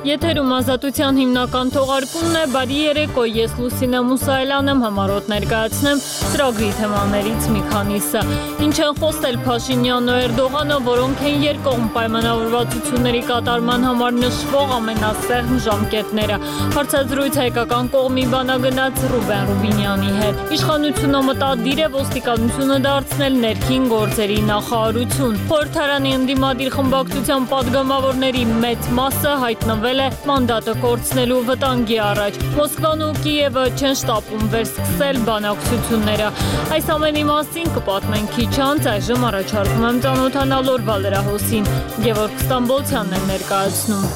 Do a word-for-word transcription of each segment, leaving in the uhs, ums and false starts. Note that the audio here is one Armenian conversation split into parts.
Եթերում ազատության հիմնական թողարկումն է, բարի երեկո, ես Լուսինե Մուսայելյան եմ, համառոտ ներկայացնեմ ծրագրի թեմաներից մի քանիսը։ Ինչ են խոսել Փաշինյանն ու Էրդողանը, որոնք են երկկողմ պայմանավորվածությունների կատարման համար նշվող ամենասեղմ ժամկետները։ Հարցազրույց հայկական կողմի բանագնաց Ռուբեն Ռուբինյանի հետ։ Իշխանությունը մտադիր է ոստիկանությունը դարձնել ներքին գործերի նախարարություն։ Խորհրդարանի ընդդիմադիր խմբակցության պատգամավորների մեծ մասը հայտնվել է մանդատը կորցնելու վտանգի առաջ։ Մոսկվան ու Կիևը չեն շտապում վերսկսել բանակցությունները։ Այս ամենի մասին կպատմենք քիչ անց, այժմ առաջարկում եմ ծանոթանալ օրվա լրահոսին։ Գևորգ Ստամբոլցյանն է ներկայացնում։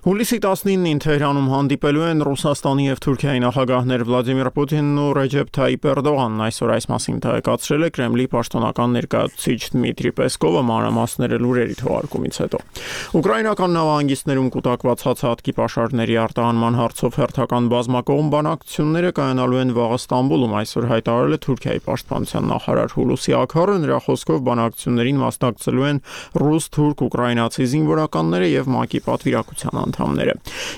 Հուլիսի տասնինին Թեհրանում հանդիպելու են Ռուսաստանի և Թուրքիայի նախագահներ Վլադիմիր Պուտինն ու Ռեջեփ Թայիպ Էրդողանն, այսօր այս մասին տեղեկացրել է Կրեմլի պաշտոնական ներկայացուցիչ Դմիտրի Պեսկովը մանրամասները լուրերի թողարկումից հետո։ Ուկրաինական նավահանգիստներում կուտակված հացահատկի պաշարների արտահանման հարցով հերթական բազմակողմ բանակցությունները կայանալու են վաղը Ստամբուլում, այսօր հայտարարել է Թուրքիայի պաշտպանության նախարար Հուլուսի Աքարը, նրա խոսքով բանակցություններին մասնակցելու են ռուս, թուրք, ուկրաինացի զինվորականները և ՄԱԿ-ի պատվիրակության անդամները։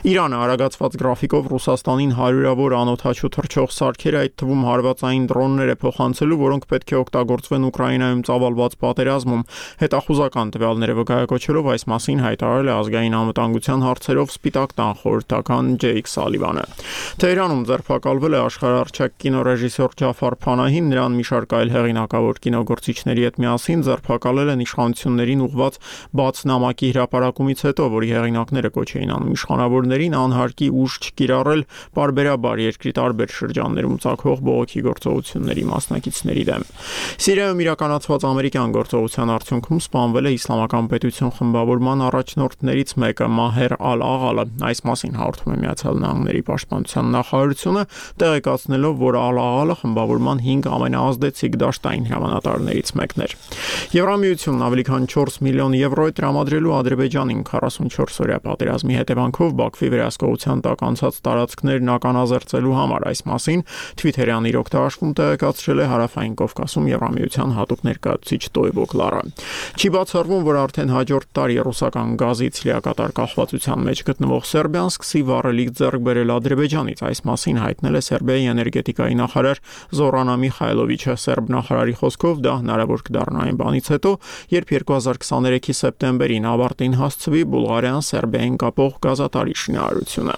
Իրանը արագացված գրաֆիկով Ռուսաստանին հարյուրավոր անօդաչու թռչող սարքեր, այդ թվում հարվածային դրոններ է փոխանցելու, որոնք պետք է օգտագործվեն Ուկրաինայում ծավալված պատերազմում։ Հետախուզական տվյալները վկայակոչելով այս մասին հայտարարել է ազգային անվտանգության հարցերով Սպիտակ տան խորհրդական Ջեյք Սալիվանը։ Թեհրանում ձերբակալվել է աշխարհահռչակ կինոռեժիսոր Ջաֆար Փանահին, նրան մի շարք այլ հեղինակավոր կինոգործիչների հետ միասին ձերբակալել են իշխանություններին ուղղված բաց նամակի հրապարակումից հետո, որի հեղինակները կոչ էին անում իշխանավորներին անհարկի ուժ չկիրառել պարբերաբար երկրի տարբեր շրջաններում ծագող բողոքի գործողությունների մասնակիցների դեմ։ Սիրիայում իրականացված ամերիկյան գործողության արդյունքում սպանվել է Իսլամական պետություն խմբավորման առաջնորդներից մեկը Մահեր Ալ-Աղալը։ Այս մասին հաղորդում է Միացյալ Նահանգների պաշտպանության նախարարությունը, տեղեկացնելով, որ Ալ-Աղալը խմբավորման հինգ ամենաազդեցիկ դաշտային հրամանատարներից մեկն էր։ Եվրամիությունն ավելի քան չորս միլիոն եվրո է տրամադրելու Ադրբեջանին քառասունչորս օրյա պատերազմի հետևանքով Բաքվի վերահսկողության տակ անցած տարածքներն ականազերծելու համար։ Այս մասին Թվիթերյան իր օգտարաշվում տեղեկացրել է Հարավային Կովկասում Եվրամիության հատուկ ներկայացուցիչ Տոյվո Կլարը։ Չի բացառվում, որ արդեն հաջորդ տարի ռուսական գազից լիակատար կախվածության մեջ գտնվող Սերբիան սկսի վառելիք ձեռք բերել Ադրբեջանից։ Այս մասին հայտնել է Սերբիայի էներգետիկայի նախարար Զորանա Միխայլովիչը։ Սերբ նախարարի խոսքով դա հնարավոր կդառնա այն բանից հետո, երբ երկու հազար քսաներեքի սեպտեմբերին ավարտին հասցվի Բուլղարիան Սերբիային կապող գազատարի շինարարությունը։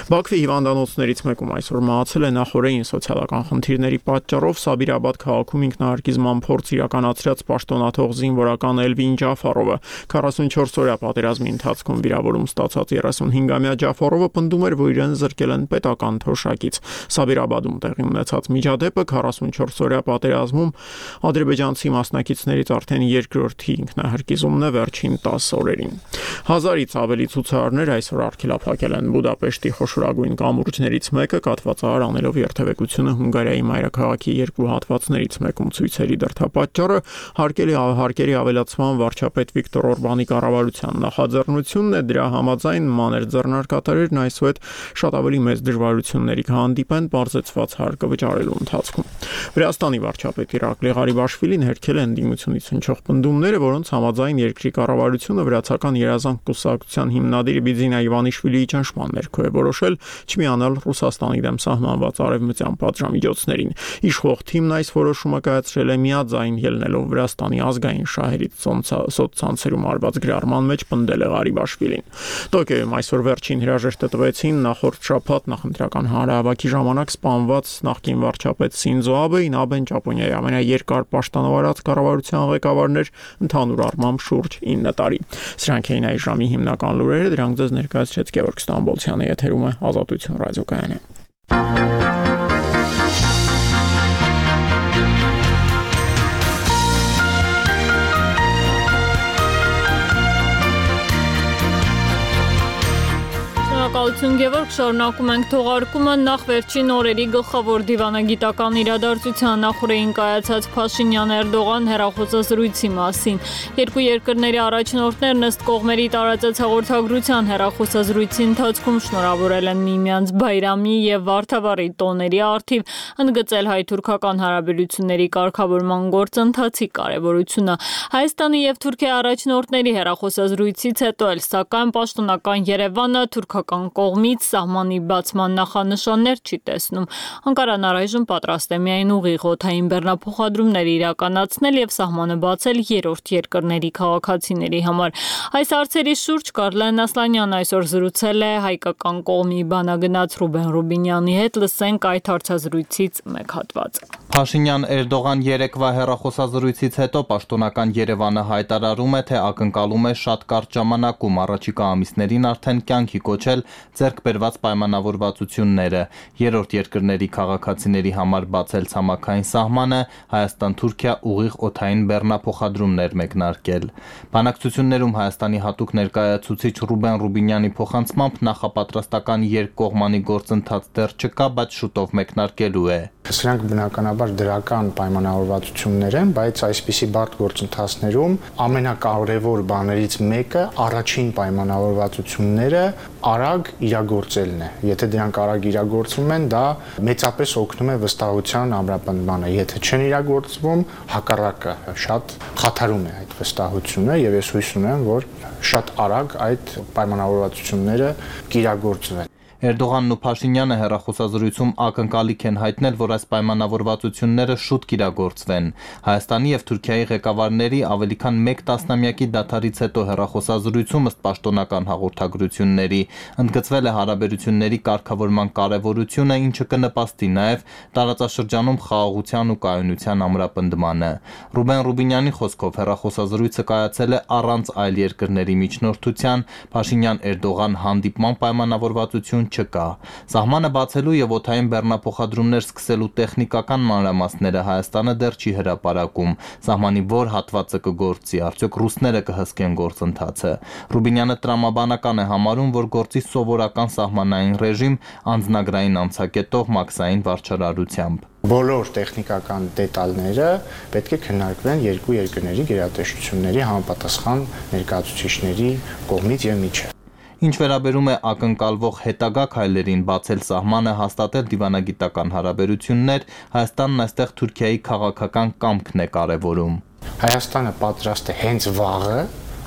Բաքվի հիվանդանոցներից մեկում այսօր մահացել է նախօրեին սոցիալական խնդիրների պատճառով Սաբիրաբադ քաղաքում ինքնահարկիզման փորձ իրականացրած պաշտոնաթող զինվորական Էլվին Ջաֆարովը։ քառասունչորս օրյա պատերազմի ընթացքում վիրավորում ստացած երեսունհինգամյա Ջաֆարովը պնդում էր, որ իրեն զրկել են պետական թոշակից։ Սաբիրաբադում տեղի ունեցած միջադեպը քառասունչորս օրյա պատերազմում ադրբեջանցի մասնակիցներից արդեն երկրորդի ինքնահարկիզումն է վերջին տասը օրերին։ Հազարից ավելի ցուցարարներ այսօր արգելափակել են Բուդապեշտի խոշորագույն կամուրջներից մեկը, կաթվածահար անելով երթևեկությունը Հունգարիայի մայրաքաղաքի երկու հատվածներից մեկում ցույցերի դրդապատճառը հարկելի հարկերի ավելացման վարչապետ Վիկտոր Օրբանի կառավարության նախաձեռնությունն է, դրա համաձայն մանր ձեռնարկատերերն այսուհետ շատ ավելի մեծ դժվարությունների կհանդիպեն բարձրացված հարկը վճարելու ընթացքում։ Վրաստանի վարչապետ Իրակլի Ղարիբաշվիլին հերքել է ընդդիմությունից հնչող պնդումները, որոնց համաձայն երկրի կառավարությունը վրացական երազանք կուսակցության հիմնադիր Բիձինա Իվանիշվիլիի ճնշման ներքո է որոշել չմիանալ Ռուսաստանի դեմ սահմանված արևմտյան պատժամիջոցներին։ Իշխող թիմն այս որոշումը կայացրել է միաձայն ելնելով Վրաստանի ազգային շահերից սոցցանցերում արված գրառման մեջ պնդել է Ղարիբաշվիլին։ Տոկիոյում այսօր վերջին հրաժեշտը տվեցին նախորդ շաբաթ նախընտրական հանրահավաքի ժամանակ սպանված նախկին վարչապետ Սինձո Աբեին, Աբեն Ճապոնիայի ամենաերկար պաշտոնավարած կառավարության ղեկավարն էր ընդհանուր առմամբ շուրջ ինը տարի։ Սրանք էին այս ժամի հիմնական լուրերը, դրանք ձեզ ներկայացրեց Գևորգ Ստամբոլցյանը, եթերում է Ազատություն ռադիոկայանը։ Շնորհակալություն Բարև Գևորգ, շարունակում ենք թողարկումը նախ վերջին օրերի գլխավոր դիվանագիտական իրադարձության նախորդին կայացած Փաշինյան-Էրդողան հեռախոսազրույցի մասին։ Երկու երկրների առաջնորդներն ըստ կողմերի տարածած հաղորդագրության հեռախոսազրույցի ընթացքում շնորհավորել են միմյանց Բայրամի եւ Վարդավառի տոների առթիվ, ընդգծել հայ-թուրքական հարաբերությունների կարգավորման գործընթացի կարեւորությունը։ Հայաստանի եւ Թուրքիայի առաջնորդների հեռախոսազրույցից հետո էլ սակայն պաշտոնական Երևանը թուրքական կողմից սահմանի բացման նախանշաններ չի տեսնում։ Անկարան առայժմ պատրաստ է միայն ուղիղ օդային բեռնափոխադրումներ իրականացնել եւ սահմանը բացել երրորդ երկրների քաղաքացիների համար։ Այս հարցերի շուրջ Կարլեն Ասլանյանն այսօր զրուցել է հայկական կողմի բանագնաց Ռուբեն Ռուբինյանի հետ, լսենք այդ հարցազրույցից մեկ հատված։ Փաշինյան-Էրդողան երեկվա հեռախոսազրույցից հետո պաշտոնական Երևանը հայտարարում է, թե ակնկալում է շատ կարճ ժամանակում առաջիկա ամիսներին արդեն կյանքի կոչել ձեռքբերված պայմանավորվածությունները, երրորդ երկրների քաղաքացիների համար բացել ցամաքային սահմանը, Հայաստան-Թուրքիա ուղիղ օդային բեռնափոխադրումներ մեկնարկել։ Բանակցություններում Հայաստանի հատուկ ներկայացուցիչ Ռուբեն Ռուբինյանի փոխանցմամբ նախապատրաստական երկկողմանի գործընթաց դեռ չկա, բայց շուտով մեկնարկելու է։ Սրանք բնականաբար դրական պայմանավորվածություններ են, բայց այսպիսի բարդ գործընթացներում ամենակարևոր բաներից մեկը առաջին պայմանավորվածությունները արագ իրագործելն է։ Եթե դրանք արագ իրագործվում են, դա մեծապես օգնում է վստահության ամրապնդմանը։ Եթե չեն իրագործվում, հակառակը շատ խաթարում է այդ վստահությունը, եւ ես հույս ունեմ, որ շատ արագ այդ պայմանավորվածությունները կիրագործվեն։ Էրդողանն ու Փաշինյանը հեռախոսազրույցում ակնկալիք են հայտնել, որ այս պայմանավորվածությունները շուտ կիրագործվեն։ Հայաստանի եւ Թուրքիայի ղեկավարների ավելի քան մեկ տասնամյակի դադարից հետո հեռախոսազրույցում ըստ պաշտոնական հաղորդագրությունների ընդգծվել է հարաբերությունների կարգավորման կարեւորությունը, ինչը կնպաստի նաեւ տարածաշրջանում խաղաղության ու կայունության ամրապնդմանը։ Ռուբեն Ռուբինյանի խոսքով հեռախոսազրույցը կայացել է առանց այլ երկրների միջնորդության, Փաշինյան-Էրդողան հանդիպման պայմանավորվածություն չկա։ Սահմանը բացելու եւ օդային բեռնափոխադրումներ սկսելու տեխնիկական մանրամասները Հայաստանը դեռ չի հրապարակում։ Սահմանի որ հատվածը կգործի, արդյոք ռուսները կհսկեն գործընթացը։ Ռուբինյանը տրամաբանական է համարում, որ գործի սովորական սահմանային ռեժիմ անձնագրային անցակետով մաքսային վարչարարությամբ։ Բոլոր տեխնիկական դետալները պետք է քննարկվեն երկու երկրների գերատեսչությունների համապատասխան ներկայացուցիչների կողմից եւ միջև։ Ինչ վերաբերում է ակնկալվող հետագա քայլերին բացել սահմանը, հաստատել դիվանագիտական հարաբերություններ, Հայաստանն այստեղ Թուրքիայի քաղաքական կամքն է կարևորում։ Հայաստանը պատրաստ է հենց վաղը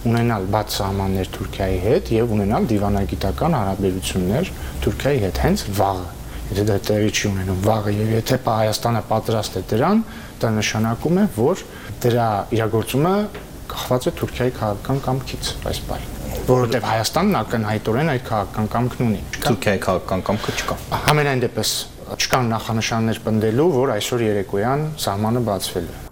ունենալ բաց սահմաններ Թուրքիայի հետ եւ ունենալ դիվանագիտական հարաբերություններ Թուրքիայի հետ հենց վաղը։ Եթե դա տեղի չի ունենում վաղը եւ եթե Հայաստանը պատրաստ է դրան, դա նշանակում է, որ դրա իրագործումը կախված է Թուրքիայի քաղաքական կամքից, այս բանը։ Որովհետև Հայաստանն ակնհայտորեն այդ քաղաքական կամքն ունի։ Թուրքիայի քաղաքական կամքը չկա։ Համենայն դեպս չկան նախանշաններ պնդելու, որ այսօր երեկոյան սահմանը բացվել է։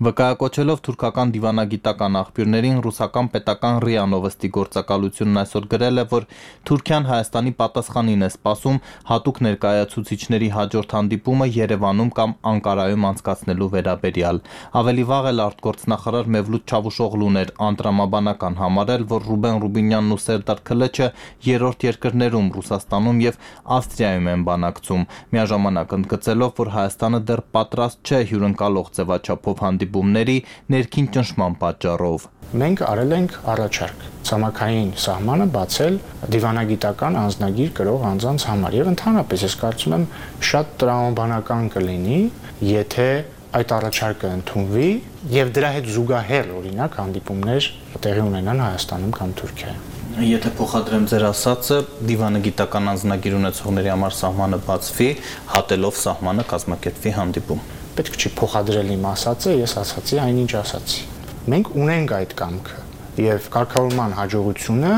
Վկայակոչելով թուրքական դիվանագիտական աղբյուրներին, ռուսական պետական ՌԻԱ Նովոստի գործակալությունն այսօր գրել է, որ Թուրքիան Հայաստանի պատասխանին է սպասում հատուկ ներկայացուցիչների հաջորդ հանդիպումը Երևանում կամ Անկարայում անցկացնելու վերաբերյալ։ Ավելի վաղ էլ արտգործնախարար Մևլութ Չավուշօղլուն էր անդրամաբանական համարել, որ Ռուբեն Ռուբինյանն ու Սերդար Քլեչը երրորդ երկրներում Ռուսաստանում եւ Ավստրիայում են բանակցում, միաժամանակ ընդգծելով, որ Հայաստանը դեռ պատրաստ չէ հյուրընկալող ձևաչափով հանդիպումների ներքին ճնշման պատճառով։ Մենք արել ենք առաջարկ ցամաքային սահմանը բացել դիվանագիտական անձնագիր կրող անձանց համար եւ ընդհանրապես ես կարծում եմ շատ տրամաբանական կլինի, եթե այդ առաջարկը ընդունվի եւ դրա հետ զուգահեռ օրինակ հանդիպումներ տեղի ունենան Հայաստանում կամ Թուրքիայում։ Եթե փոխադրեմ ձեր ասածը, դիվանագիտական անձնագիր ունեցողների համար սահմանը բացվի, հատելով սահմանը կազմակերպվի հանդիպում։ Պետք չի փոխադրել իմ ասածը, ես ասացի այնինչ ասացի։ Մենք ունենք այդ կամքը եւ կարգավորման հաջողությունը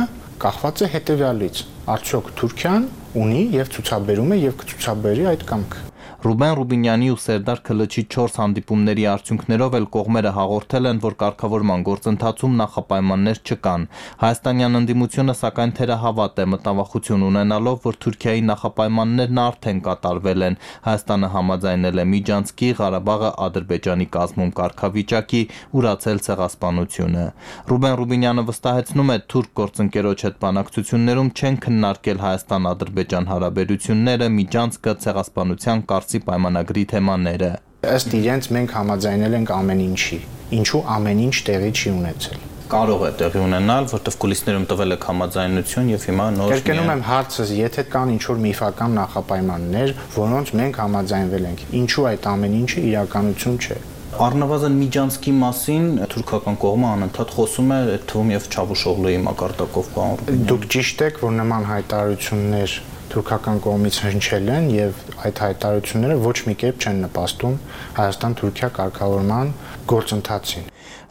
կախված է հետեւյալից. արդյոք Թուրքիան ունի եւ ցուցաբերում է եւ կցուցաբերի այդ կամքը։ Ռուբեն Ռուբինյանի ու Սերդար Քլչի չորս հանդիպումների արդյունքներով էլ կողմերը հաղորդել են, որ կարգավորման գործընթացում նախապայմաններ չկան։ Հայաստանյան ընդդիմությունը սակայն թերահավատ է, մտավախություն ունենալով, որ Թուրքիայի նախապայմաններն արդեն կատարվել են։ Հայաստանը համաձայնել է միջանցքի, Ղարաբաղը Ադրբեջանի կազմում կարգավիճակի, ուրացել ցեղասպանությունը։ Ռուբեն Ռուբինյանը վստահեցնում է, թուրք գործընկերոջ հետ բանակցություններում չեն քննարկել Հայաստան-Ադրբեջան հարաբերությունները, միջանցքը, ցեղասպանության կարծի պայմանագրի թեմաները։ Ըստ իրենց մենք համաձայնել ենք ամեն ինչի, ինչու ամեն ինչ տեղի չի ունեցել։ Կարող է տեղի ունենալ, որտեղ կուլիսներում տվել եք համաձայնություն եւ հիմա նոր Կրկնում եմ հարցը, եթե կան ինչ-որ միֆական նախապայմաններ, որոնց մենք համաձայնվել ենք, ինչու այդ ամեն ինչը իրականություն չէ։ Առնվազն միջանցքի մասին թուրքական կողմը անընդհատ խոսում է, այդ թվում եւ Չավուշօղլուի մակարդակով բան։ Դուք ճիշտ եք, որ նման հայտարարություններ թուրքական կողմից հնչել են եւ այդ հայտարարությունները ոչ մի կերպ չեն նպաստում Հայաստան-Թուրքիա կարգավորման գործընթացին։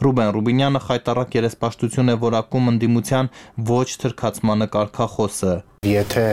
Ռուբեն Ռուբինյանը խայտառակ երեսպաշտություն է որակում ընդդիմության ոչ թրքացմանը կարգախոսը։ Եթե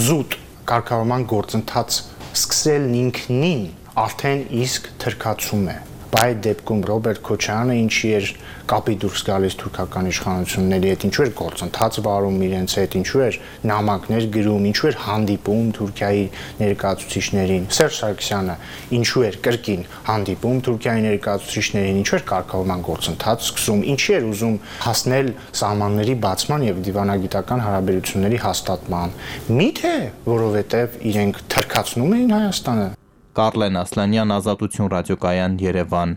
զուտ կարգավորման գործընթաց սկսելն ինքնին արդեն իսկ թրքացում է։ Բայց դեպքում Ռոբերտ Քոչարյանը ինչի էր կապի դուրս գալիս թուրքական իշխանությունների հետ, ինչու էր գործընթաց վարում իրենց հետ, ինչու էր նամակներ գրում, ինչու էր հանդիպում Թուրքիայի ներկայացուցիչներին։ Սերժ Սարգսյանը ինչու էր կրկին հանդիպում Թուրքիայի ներկայացուցիչներին, ինչու էր կարգավորման գործընթաց սկսում, ինչի էր ուզում հասնել սահմանների բացման եւ դիվանագիտական հարաբերությունների հաստատման։ Միթե որովհետեւ իրենք թրքացնում էին Հայաստանը։ Կարլեն Ասլանյան, Ազատություն ռադիոկայան, Երևան։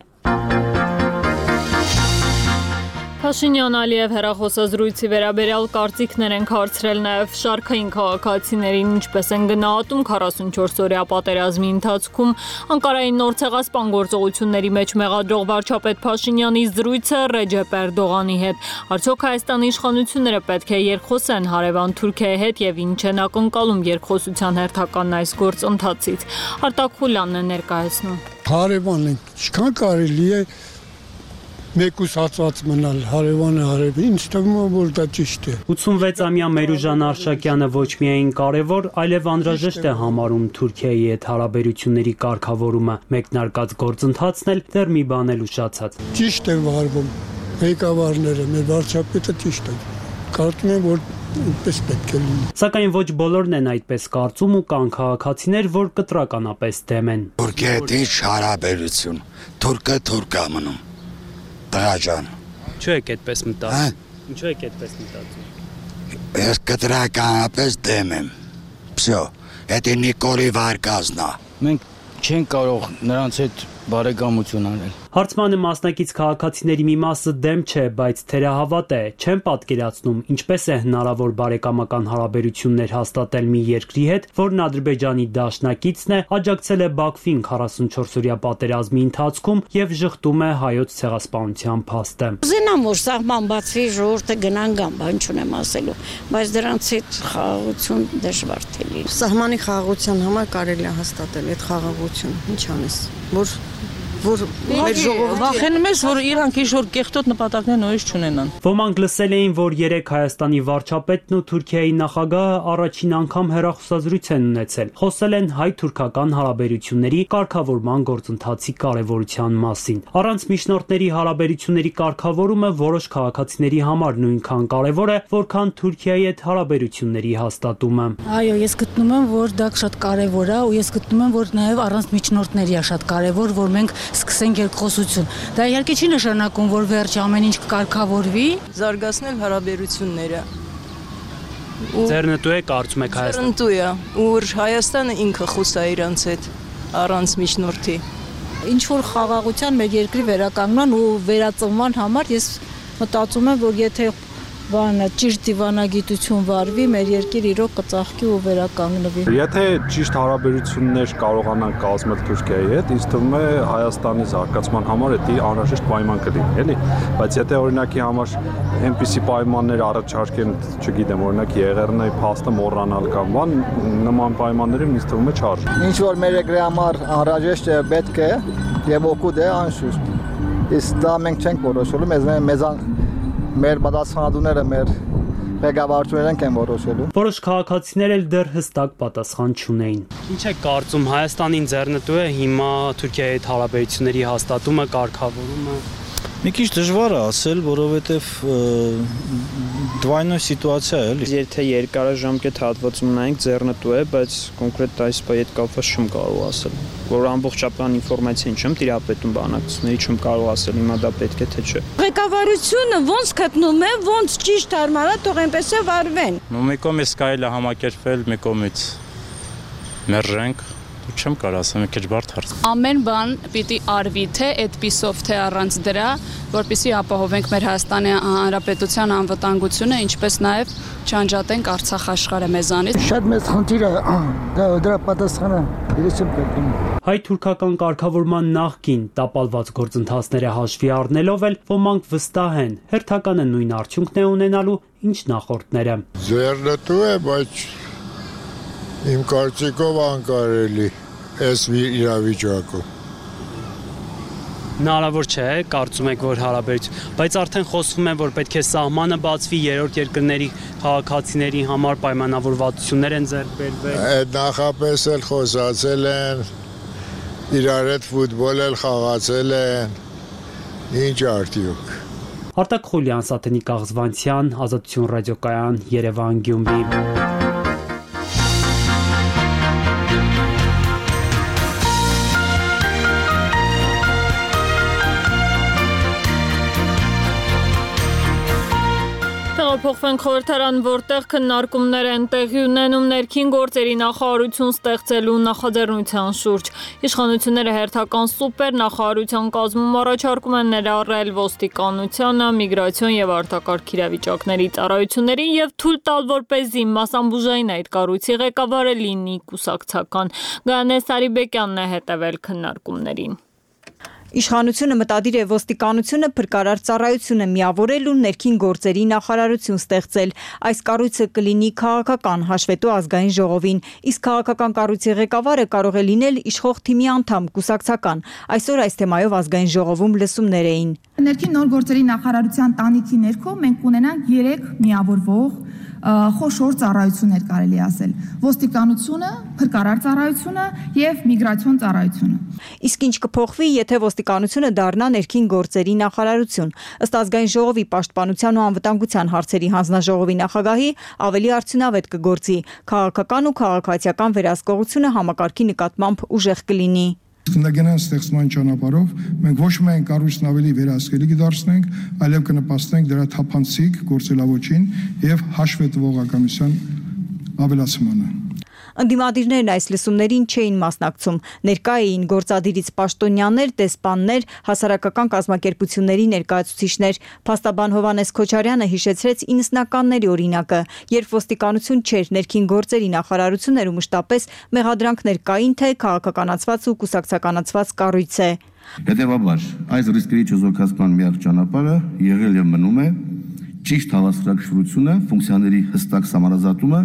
Փաշինյան-Ալիև հեռախոսազրույցի վերաբերյալ կարծիքներ են հարցրել նաև շարքային քաղաքացիներին, ինչպես են գնահատում քառասունչորս օրյա պատերազմի ընթացքում Անկարայի նոր ցեղասպան գործողությունների մեջ մեղադրող վարչապետ Փաշինյանի զրույցը Ռեջեփ Էրդողանի հետ։ Արդյոք Հայաստանի իշխանությունները պետք է երկխոսեն հարևան Թուրքիայի հետ եւ ինչ են ակնկալում երկխոսության հերթական այս գործընթացից։ Արտակ Խուլյանն է ներկայացնում։ Հարևանն ինչքան կարելի է մեկուսացված մնալ հարևանը հարևան, ինձ թվում է, որ դա ճիշտ է։ ութսունվեց-ամյա Մերուժան Արշակյանը ոչ միայն կարևոր, այլև անհրաժեշտ է համարում Թուրքիայի հետ հարաբերությունների կարգավորումը, մեկնարկած գործընթացն էլ դեռ մի բան էլ ուշացած։ Ճիշտ են վարվում ղեկավարները, մեր վարչապետը ճիշտ է։ Կարծում եմ, որ այդպես պետք է լինի։ Սակայն ոչ բոլորն են այդպես կարծում ու կան քաղաքացիներ, որ կտրականապես դեմ են։ Թուրքիա հետ ինչ հարաբերություն, թուրքը թուրք է մնում։ Տղաջան։ Ինչու եք այդպես մտածում։ Ինչու եք այդպես մտածում։ Ես կտրականապես դեմ եմ։ Всё, դա Նիկոլի վարկազն է։ Մենք չենք կարող նրանց հետ բարեկամություն անել։ Հարցմանը մասնակից քաղաքացիների մի մասը դեմ չէ, բայց թերահավատ է, չեն պատկերացնում ինչպես է հնարավոր բարեկամական հարաբերություններ հաստատել մի երկրի հետ, որն Ադրբեջանի դաշնակիցն է, աջակցել է Բաքվին քառասունչորս օրյա պատերազմի ընթացքում եւ ժխտում է հայոց ցեղասպանության փաստը։ Ուզենամ, որ սահման բացվի, ժողովուրդը գնան գան, բան չունեմ ասելու, բայց դրանց հետ խաղաղություն դժվար թե լինի։ Սահմանի խաղաղության համար կարելի է հաստատել այդ խաղաղությունը, ինչ անես, որ որ մեր ժողովուրդը վախենում ես, որ իրանք ինչ-որ կեղտոտ նպատակներ նորից չունենան։ Ոմանք լսել էին, որ երեք Հայաստանի վարչապետն ու Թուրքիայի նախագահը առաջին անգամ հեռախոսազրույց են ունեցել։ Խոսել են հայ-թուրքական հարաբերությունների կարգավորման գործընթացի կարևորության մասին։ Առանց միջնորդների հարաբերությունների կարգավորումը որոշ քաղաքացիների համար նույնքան կարևոր է, որքան Թուրքիայի հետ հարաբերությունների հաստատումը։ Այո, ես գտնում եմ, որ դա շատ կարևոր է, ու ես գտնում եմ, որ նաև առանց միջնորդների է շատ կարևոր, որ մենք սկսենք երկխոսություն։ Դա իհարկե չի նշանակում, որ վերջ ամեն ինչ կարգավորվի, զարգացնել հարաբերությունները։ Ձեռնտու է կարծում եք Հայաստանը։ Ձեռնտու է, որ Հայաստանը ինքը խոսա իրանց հետ առանց միջնորդի։ ինչ որ խաղաղության մեր երկրի վերականգնման ու վերածնման համար ես մտածում եմ, որ եթե բանը ճիշտ դիվանագիտություն վարվի, մեր երկիր իրոք կծաղկի ու վերականգնվի։ Եթե ճիշտ հարաբերություններ կարողանանք կազմել Թուրքիայի հետ, ինձ թվում է Հայաստանի զարգացման համար դա անհրաժեշտ պայման կլինի, էլի, բայց եթե օրինակի համար այնպիսի պայմաններ առաջարկեն, չգիտեմ, օրինակ եղեռնայի փաստը մոռանալ կամ բան, նման պայմաններում ինձ թվում է չարժի։ Ինչ որ մեր երկրի համար անհրաժեշտ է, պետք է եւ օգուտ է, անշուշտ։ Իսկ դա մենք չենք որոշելու, մեզ մեզ մեր պատասխանատուները, մեր ղեկավարություններն են որոշելու։ Որոշ քաղաքացիներ էլ դեռ հստակ պատասխան չունեին։ Ինչ է կարծում, Հայաստանին ձեռնտու է հիմա Թուրքիայի հետ հարաբերությունների հաստատումը, կարգավորումը։ Մի քիչ դժվար է ասել, որովհետև դվայնոյ սիտուացիա է, էլի։ Եթե երկարաժամկետ հատվածում նայենք ձեռնտու է, բայց կոնկրետ այս բայի հետ կապված չեմ կարող ասել, որ ամբողջական ինֆորմացիան չեմ տիրապետում բանակցությունների, չեմ կարող ասել հիմա դա պետք է թե չէ։ Ղեկավարությունը ոնց գտնում է, ոնց ճիշտ հարմարա թող այնպես է վարվեն։ Ու մի կողմից կարելի է համակերպվել, մի կողմից մերժենք։ Չեմ կարող ասեմ, մի քիչ բարդ հարց։ Ամեն բան պիտի արվի թե այդպիսով, թե առանց դրա, որպեսզի ապահովենք մեր Հայաստանի Հանրապետության անվտանգությունը, ինչպես նաև չանջատենք Արցախ աշխարհը մեզանից։ Շատ մեծ խնդիր է, դա դրա պատասխանը ես չեմ գտնում։ Հայ-թուրքական կարգավորման նախկին տապալված գործընթացները հաշվի առնելով էլ ոմանք վստահ են, հերթականը նույն արդյունքն է ունենալու, ինչ նախորդները։ Ձեռնտու է, բայց իմ կարծիքով անկարելի այս իրավիճակում։ Հնարավոր չէ, կարծում եք, որ հարաբերություն, բայց արդեն խոսվում է, որ պետք է սահմանը բացվի, երրորդ երկրների քաղաքացիների համար պայմանավորվածություններ են ձեռք բերվել։ Այդ նախապես էլ խոսացել են, իրար հետ ֆուտբոլ էլ խաղացել են, ինչ արդյունք։ Արտակ Խուլյան, Սաթենիկ Աղզվանցյան, Ազատություն ռադիոկայան, Երևան, Գյումրի։ Փոխվենք խորհրդարան, որտեղ քննարկումներ են տեղի ունենում ներքին գործերի նախարարություն ստեղծելու նախաձեռնության շուրջ։ Իշխանությունները հերթական սուպեր նախարարության կազմում առաջարկում են ներառել ոստիկանությանը, միգրացիոն եւ արտակարգ իրավիճակների ծառայությունների եւ թույլ տալ, որպեսզի մասամբուժային այդ կառույցի ղեկավարը լինի կուսակցական։ Գայանե Սարիբեկյանն է հետևել քննարկումներին։ Իշխանությունը մտադիր է ոստիկանությունը փրկարար ծառայությունը միավորել ու ներքին գործերի նախարարություն ստեղծել։ Այս կառույցը կլինի քաղաքական, հաշվետու ազգային ժողովին, իսկ քաղաքական կառույցի ղեկավարը կարող է լինել իշխող թիմի անդամ, կուսակցական։ Այսօր այս թեմայով ազգային ժողովում լսումներ էին։ Ներքին նոր գործերի նախարարության տանիքի ներքո մենք կունենանք երեք միավորվող խոշոր ծառայություններ կարելի ասել. ոստիկանությունը, փրկարար ծառայությունը եւ միգրացիոն ծառայությունը։ Իսկ ինչ կփոխվի, եթե ոստիկանությունը դառնա ներքին գործերի նախարարություն։ Ըստ ազգային ժողովի պաշտպանության ու անվտանգության հարցերի հանձնաժողովի նախագահի ավելի արդյունավետ կգործի, քաղաքական ու քաղաքացիական վերահսկողությունը համակարգի նկատմամբ ուժեղ կլինի։ Քննագնան ստեղծման ճանապարհով մենք ոչ միայն կառույցն ավելի վերահսկելի կդարձնենք, այլև կնպաստենք դրա թափանցիկ գործելավոճին եւ հաշվետվողականության ավելացմանը։ Ընդդիմադիրներն այս լսումներին չէին մասնակցում։ Ներկա էին գործադիրից պաշտոնյաներ, դեսպաններ, հասարակական կազմակերպությունների ներկայացուցիչներ։ Փաստաբան Հովհաննես Քոչարյանը հիշեցրեց իննսնականների օրինակը, երբ ոստիկանություն չէր, ներքին գործերի նախարարություն էր ու մշտապես մեղադրանքներ կային, թե քաղաքականացված ու կուսակցականացված կառույց է։ Հետևաբար, այս ռիսկերի չեզոքացման միակ ճանապարհը եղել եւ մնում է ճիշտ հավասարակշռությունը, ֆունկցիաների հստակ սահմանազատումը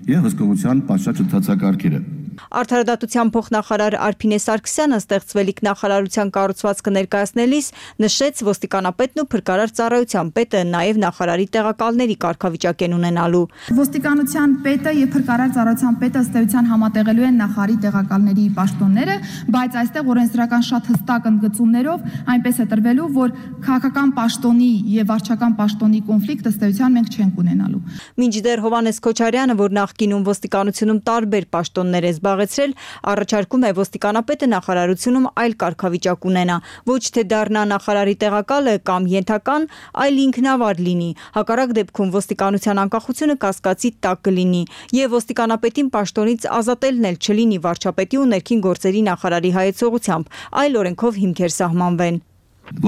եւ հսկողության պատշաճ ընդհանցակարգերը։ Արդարադատության փոխնախարար Արփինե Սարգսյանը ստեղծվելիք նախարարության կառուցվածքը ներկայացնելիս նշեց ոստիկանապետն ու փրկարար ծառայության պետը նաև նախարարի տեղակալների կարգավիճակ են ունենալու։ Ոստիկանության պետը եւ փրկարար ծառայության պետը ըստ էության համատեղելու են նախարարի տեղակալների պաշտոնները, բայց այստեղ օրենսդրական շատ հստակ ընդգծումներով այնպես է տրվելու, որ քաղաքական պաշտոնի եւ վարչական պաշտոնի կոնֆլիկտ ըստ էության մենք չենք ունենալու։ Մինչդեռ Հովհաննես Քոչարյանը, որ նախկինում ոստիկանությունում տարբեր պաշտոններ է զբաղեցրել, առաջարկում է ոստիկանապետը նախարարությունում այլ կարգավիճակ ունենա, ոչ թե դառնա նախարարի տեղակալը կամ ենթական, այլ ինքնավար լինի։ Հակառակ դեպքում ոստիկանության անկախությունը կասկածի տակ կլինի եւ ոստիկանապետին պաշտոնից ազատելն էլ չլինի վարչապետի ու ներքին գործերի նախարարի հայեցողությամբ, այլ օրենքով հիմքեր սահմանվեն։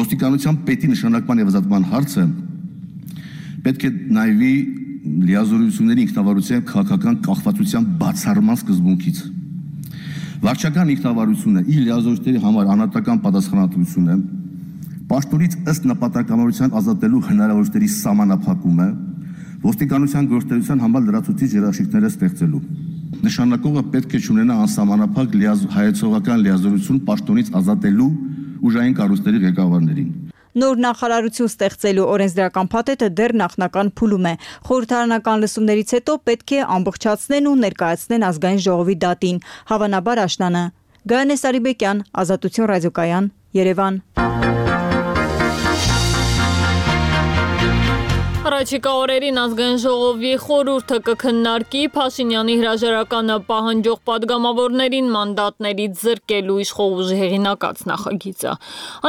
Ոստիկանության պետի նշանակման եւ ազատման հարցը պետք է նայվի լիազորությունների ինքնավարության քաղաքական կախվածության բացառման սկզբունքից։ Վարչական ինքնավարությունը իր լիազորությունների համար անհատական պատասխանատվությունը, պաշտոնից ըստ նպատակամարության ազատելու հնարավորությունների սահմանափակումը, ոստիկանության գործունեության համար լրացուցիչ երաշխիքները ստեղծելու։ Նշանակողը պետք է ունենա անսահմանափակ հայեցողական լիազորություն պաշտոնից ազատելու ուժային կառույցների ղեկավարներին։ Նոր նախարարություն ստեղծելու օրենսդրական փաթեթը դեռ նախնական փուլում է։ Խորհրդարանական լսումներից հետո պետք է ամբողջացնեն ու ներկայացնեն ազգային ժողովի դատին, հավանաբար աշնանը։ Գայանե Սարիբեկյան, Ազատություն ռադիոկայան, Երևան։ Առաջիկա օրերին ազգային ժողովի խորհուրդը կքննարկի Փաշինյանի հրաժարականը պահանջող պատգամավորներին մանդատներից զրկելու իշխող ուժի հեղինակած նախագիծը։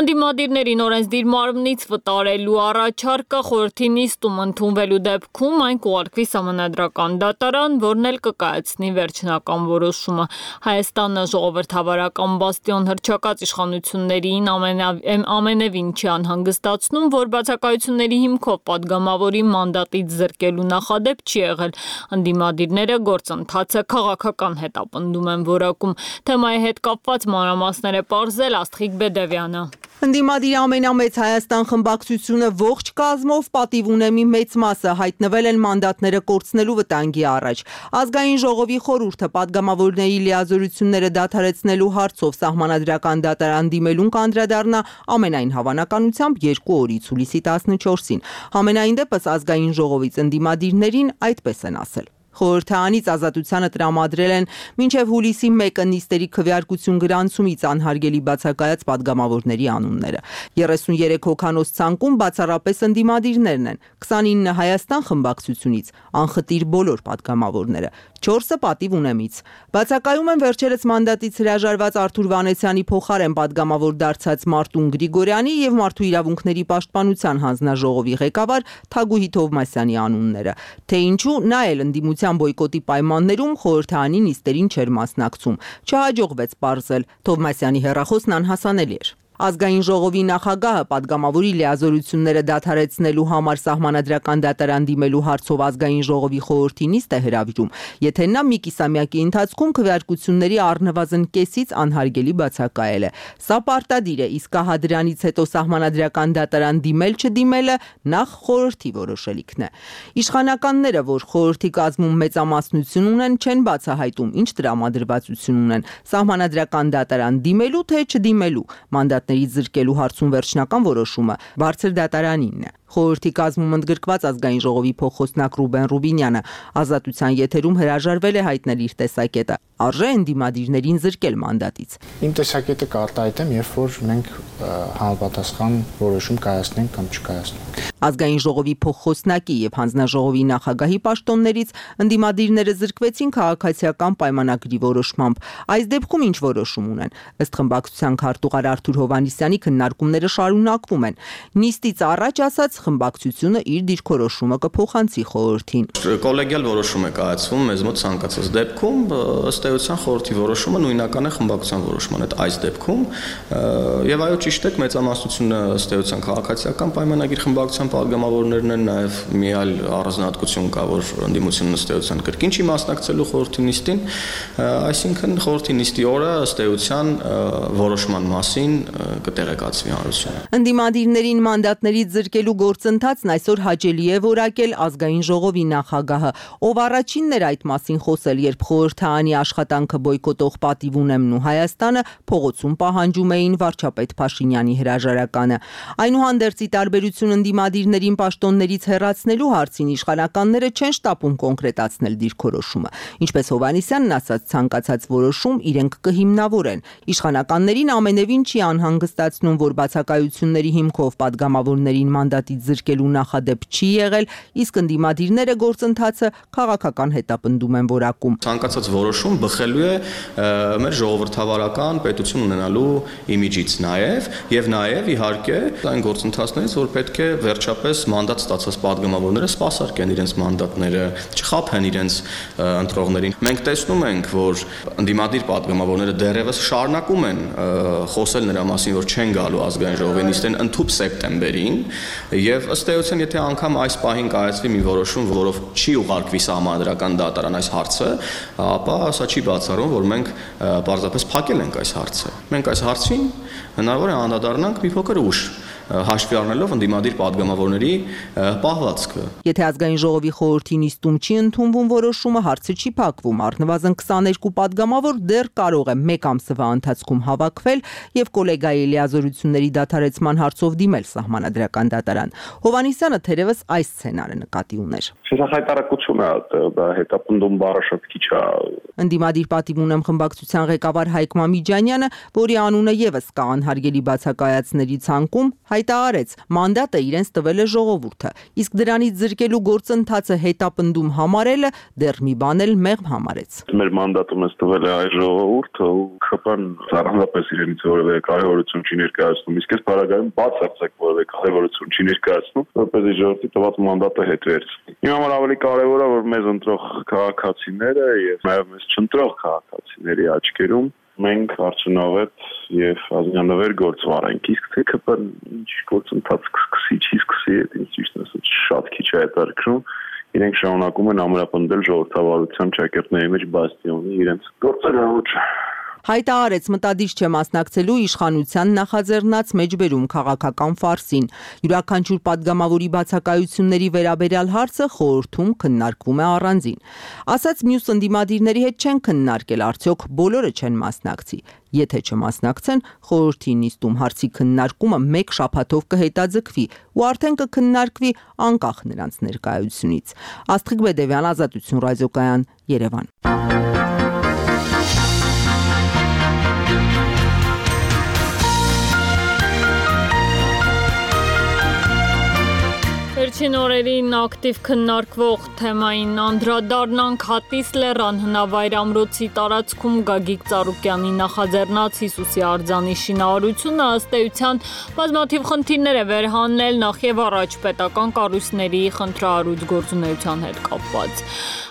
Անդիմադիրներին օրենսդիր մարմնից վտարելու առաջարկը խորհրդի նիստում ընդունվելու դեպքում այն կուղարկվի Սահմանադրական դատարան, որն էլ կկայացնի վերջնական որոշումը։ Հայաստանը ժողովրդավարական բաստիոն հռչակած իշխանություններին ամենևին չի անհանգստացնում, որ բացակայությունների հիմքով պատգամավոր մանդատից զրկելու նախադեպ չի եղել։ Անդիմադիրները գործընթացը քաղաքական հետապնդում են որակում։ Թեմայի հետ կապված մանրամասներ է պարզել Աստղիկ Բեդևյանը։ Ընդդիմադիր ամենամեծ Հայաստան խմբակցությունը ողջ կազմով պատիվ ունեմի մեծ մասը հայտնվել են մանդատները կորցնելու վտանգի առաջ։ Ազգային ժողովի խորհուրդը պատգամավորների լիազորությունները դադարեցնելու հարցով Սահմանադրական դատարան դիմելուն կանդրադառնա ամենայն հավանականությամբ երկու օրից հուլիսի տասնչորսին։ Համենայն դեպս ազգային ժողովից ընդդիմադիրներին այդպես են ասել։ Խորհրդարանից Ազատությանը տրամադրել են մինչև հուլիսի մեկը նիստերի քվեարկություն գրանցումից անհարգելի բացակայած պատգամավորների անունները։ երեսուներեք հոգանոց ցանկում բացառապես ընդդիմադիրներն են, քսանինը Հայաստան խմբակցությունից, անխտիր բոլոր պատգամավորները, չորսը պատիվ ունեմից։ Բացակայում են վերջերս մանդատից հրաժարված Արթուր Վանեցյանի փոխարեն պատգամավոր դարձած Մարտուն Գրիգորյանի եւ Մարդու իրավունքների պաշտպանության հանձնաժողովի ղեկավար Թագուհի Թովմասյանի անունները։ Թե ինչու նա էլ ընդդիմության բոյկոտի պայմաններում խորհրդարանի նիստերին չէր մասնակցում։ Չհաջողվեց պարզել, Թովմասյանի հեռախոսն անհասանելի էր։ Ազգային ժողովի նախագահը պատգամավորի լիազորությունները դադարեցնելու համար Սահմանադրական դատարան դիմելու հարցով ազգային ժողովի խորհրդի նիստ է հրավիրում, եթե նա մի կիսամյակի ընթացքում քվեարկությունների առնվազն կեսից անհարգելի բացակայել է։ Սա պարտադիր է, իսկ ահա դրանից հետո Սահմանադրական դատարան դիմել-չդիմելը նախ խորհրդի որոշելիքն է։ Իշխանականները, որ խորհրդի կազմում մեծամասնություն ունեն, չեն բացահայտում, ինչ տրամադրվածություն ունեն Սահմանադրական դատարան դիմելու թե չդիմելու մանդատ զրկելու հարցում վերջնական որոշումը բարձր դատարանինն է։ Խորհրդի կազմում ընդգրկված ազգային ժողովի փոխխոսնակ Ռուբեն Ռուբինյանը Ազատության եթերում հրաժարվել է հայտնել իր տեսակետը։ Արժե ընդդիմադիրներին զրկել մանդատից։ Իմ տեսակետը կարտահայտեմ, երբ որ մենք համապատասխան որոշում կայացնենք կամ չկայացնենք։ Ազգային ժողովի փոխխոսնակի եւ հանձնաժողովի նախագահի պաշտոններից ընդդիմադիրները զրկվեցին քաղաքացիական պայմանագրի որոշմամբ։ Այս դեպքում ինչ որոշում ունեն։ Ըստ խմբակցության քարտուղար Արթուր Հովհաննիսյանի քննարկումները շարունակվում են։ Նիստից առաջ ասած խմբակցությունը իր դիրքորոշումը կփոխանցի խորհրդին։ Կոլեգիալ որոշում է կայացվում մեզ մոտ ցանկացած դեպքում, ըստ էության խորհրդի որոշումը նույնական է խմբակցության որոշման հետ այս դեպքում, եւ այո ճիշտ է, մեծամասնությունը ըստ էության քաղաքացիական պայմանագիր խմբակցության պատգամավորներն են, նաեւ մի այլ առանձնահատկություն կա, որ ընդդիմությունն ըստ էության կրկին չի մասնակցելու խորհրդի նիստին, այսինքն խորհրդի նիստի օրը ըստ էության որոշման մասին կտեղեկացվի հանրությունը։ Ընդդիմադիրներին մանդատներից զրկելու գործընթացն այսօր հաճելի է որակել ազգային ժողովի նախագահը, ով առաջինն էր այդ մասին խոսել, երբ խորհրդարանի աշխատանքը բոյկոտող պատիվ ունեմն ու Հայաստանը փողոցում պահանջում էին վարչապետ Փաշինյանի հրաժարականը։ Այնուհանդերձ ի տարբերություն ընդդիմադիրներին պաշտոններից հեռացնելու հարցին իշխանականները չեն շտապում կոնկրետացնել դիրքորոշումը։ Ինչպես Հովհաննիսյանն ասաց, ցանկացած որոշում իրենք կհիմնավորեն։ Իշխանականներին ամենևին չի անհանգստացնում, որ բացակայությունների հիմքով պատգամավորներին մանդատից զրկելու նախադեպ չի եղել, իսկ ընդդիմադիրները գործընթացը քաղաքական հետապնդում են որակում։ Ցանկացած որոշում բխելու է մեր ժողովրդավարական պետություն ունենալու իմիջից նաև եւ նաև իհարկե այն գործընթացներից, որ պետք է վերջապես մանդատ ստացած պատգամավորները սպասարկեն իրենց մանդատները, չխաբեն իրենց ընտրողներին։ Մենք տեսնում ենք, որ ընդդիմադիր պատգամավորները դեռևս շարունակում են խոսել նրա մասին, որ չեն գալու ազգային ժողովի նիստին ընդհուպ սեպտեմբերին, եւ ըստ էության, եթե անգամ այս պահին կայացվի մի որոշում, որով չի ուղարկվի Սահմանադրական դատարան այս հարցը, ապա սա չի բացառում, որ մենք պարզապես փակել ենք այս հարցը։ Մենք այս հարցին հնարավոր է անդրադառնանք մի փոքր ուշ, հաշվի առնելով ընդդիմադիր падգամավորների պահվածքը։ Եթե ազգային ժողովի խորհրդի նիստում չի ընդունվում որոշումը, հարցը չի փակվում։ Առնվազն քսաներկու падգամավոր դեռ կարող է մեկ ամսվա ընթացքում հավաքվել եւ կոլեգայի լիազորությունների դադարեցման հարցով դիմել սահմանադրական դատարան։ Հովանիսյանը թերևս այս սցենարը նկատի ուներ։ Հայտարարություն է, դա հետապնդում բառը շատ քիչ է։ Ընդդիմադիր պատիվ ունեմ խմբակցության ղեկավար Հայկ Մամիջանյանը, որի անունը եւս կա անհարգելի բացակայացների ցանկում, հայտարարեց. մանդատը իրենց տվել է ժողովուրդը, իսկ դրանից զրկելու գործընթացը հետապնդում համարելը դեռ մի բան էլ մեղմ համարեց։ Մեր մանդատը մեզ տվել է այ ժողովուրդը ու ՔՊ-ն առանձնապես իրենից որևէ կարևորություն չի ներկայացնում, իսկ այս բարակայում բացարձակ որևէ կարևորություն չի ներկայացնում, որպեսզի ժողովրդի տված մանդատը հետ վերցնի։ Իմ համար ավելի կարևոր է, որ մեզ ընտրող քաղաքացիները եւ նաեւ մեզ չընտրող քաղաքացիների աչքերում մենք արդյունավետ եւ ազգանվեր գործ վարենք, իսկ թե ՔՊ-ն ինչ գործընթաց կսկսի, չի սկսի, ինձ ճիշտ ասած շատ քիչ է հետաքրքրում, իրենք շարունակում են ամրապնդել ժողովրդավարության ճակերտների մեջ բաստիոնի իրենց գործերը ոչ։ Հայտարարեց մտադիր չէ մասնակցելու իշխանության նախաձեռնած մեջբերում քաղաքական ֆարսին։ Յուրաքանչյուր падգամավորի բացակայությունների վերաբերյալ հարցը խորհրդում քննարկվում է առանձին։ Ասած մյուս ընդդիմադիրների հետ չեն քննարկել, արդյոք բոլորը չեն մասնակցի։ Եթե չմասնակցեն, խորհրդի նիստում հարցի քննարկումը մեկ շաբաթով կհետաձգվի ու արդեն կքննարկվի անկախ նրանց ներկայությունից։ Աստղիկ Բեդևյան, Ազատություն ռադիոկայան, Երևան։ Վերջին օրերին ակտիվ քննարկվող թեմային անդրադառնանք Հատիս լեռան հնավայր ամրոցի տարածքում Գագիկ Ծառուկյանի նախաձեռնած Հիսուսի արձանի շինարարությունը ըստ էության բազմաթիվ խնդիրներ է վերհանել նախ եւ առաջ պետական կառույցների խնդրահարույց գործունեության հետ կապված։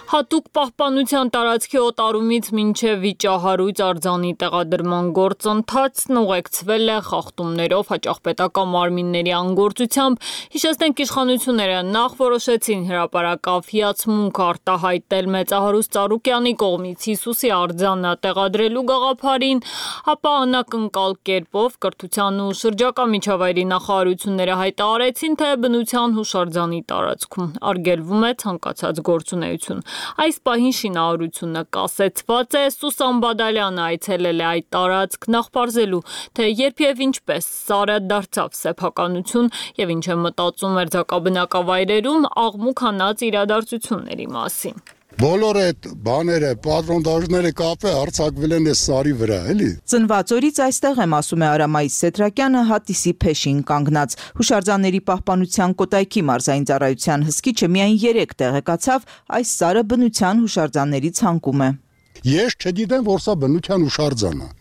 Հատուկ պահպանության տարածքի օտարումից մինչև վիճահարույց արձանի տեղադրման գործընթացն ուղեկցվել է խախտումներով, հաճախ պետական մարմինների անգործությամբ։ Հիշեցնենք, իշխանությունները նախ որոշեցին հրապարակավ հիացմունք արտահայտել մեծահարուստ Ծառուկյանի կողմից Հիսուսի արձանը տեղադրելու գաղափարին, ապա անակնկալ կերպով կրթության ու շրջակա միջավայրի նախարարությունները հայտարարեցին, թե բնության հուշարձանի տարածքում արգելվում է ցանկացած գործունեություն։ Այս պահին շինարարությունը կասեցված է, Սուսան Բադալյանը այցելել է այդ տարածք նախ պարզելու, թե երբ եւ ինչպես սարը դարձավ սեփականություն եւ ինչ է մտածում մերձակաբնակավայրերում աղմուկ հանած իրադարձությունների մասին։ Բոլոր այդ բաները, պատրոնդաժները կապը արցակվել են այս սարի վրա, էլի։ Ծնված օրից այստեղ եմ, ասում է Արամայիս Սետրակյանը, Հատիսի փեշին կանգնած։ Հուշարձանների պահպանության կոտայքի մարզային ծառայության հսկիչը միայն երեք տեղեկացավ, այս սարը բնության հուշարձանների ցանկում է։ Ես չգիտեմ, որ սա բնության հուշարձան է։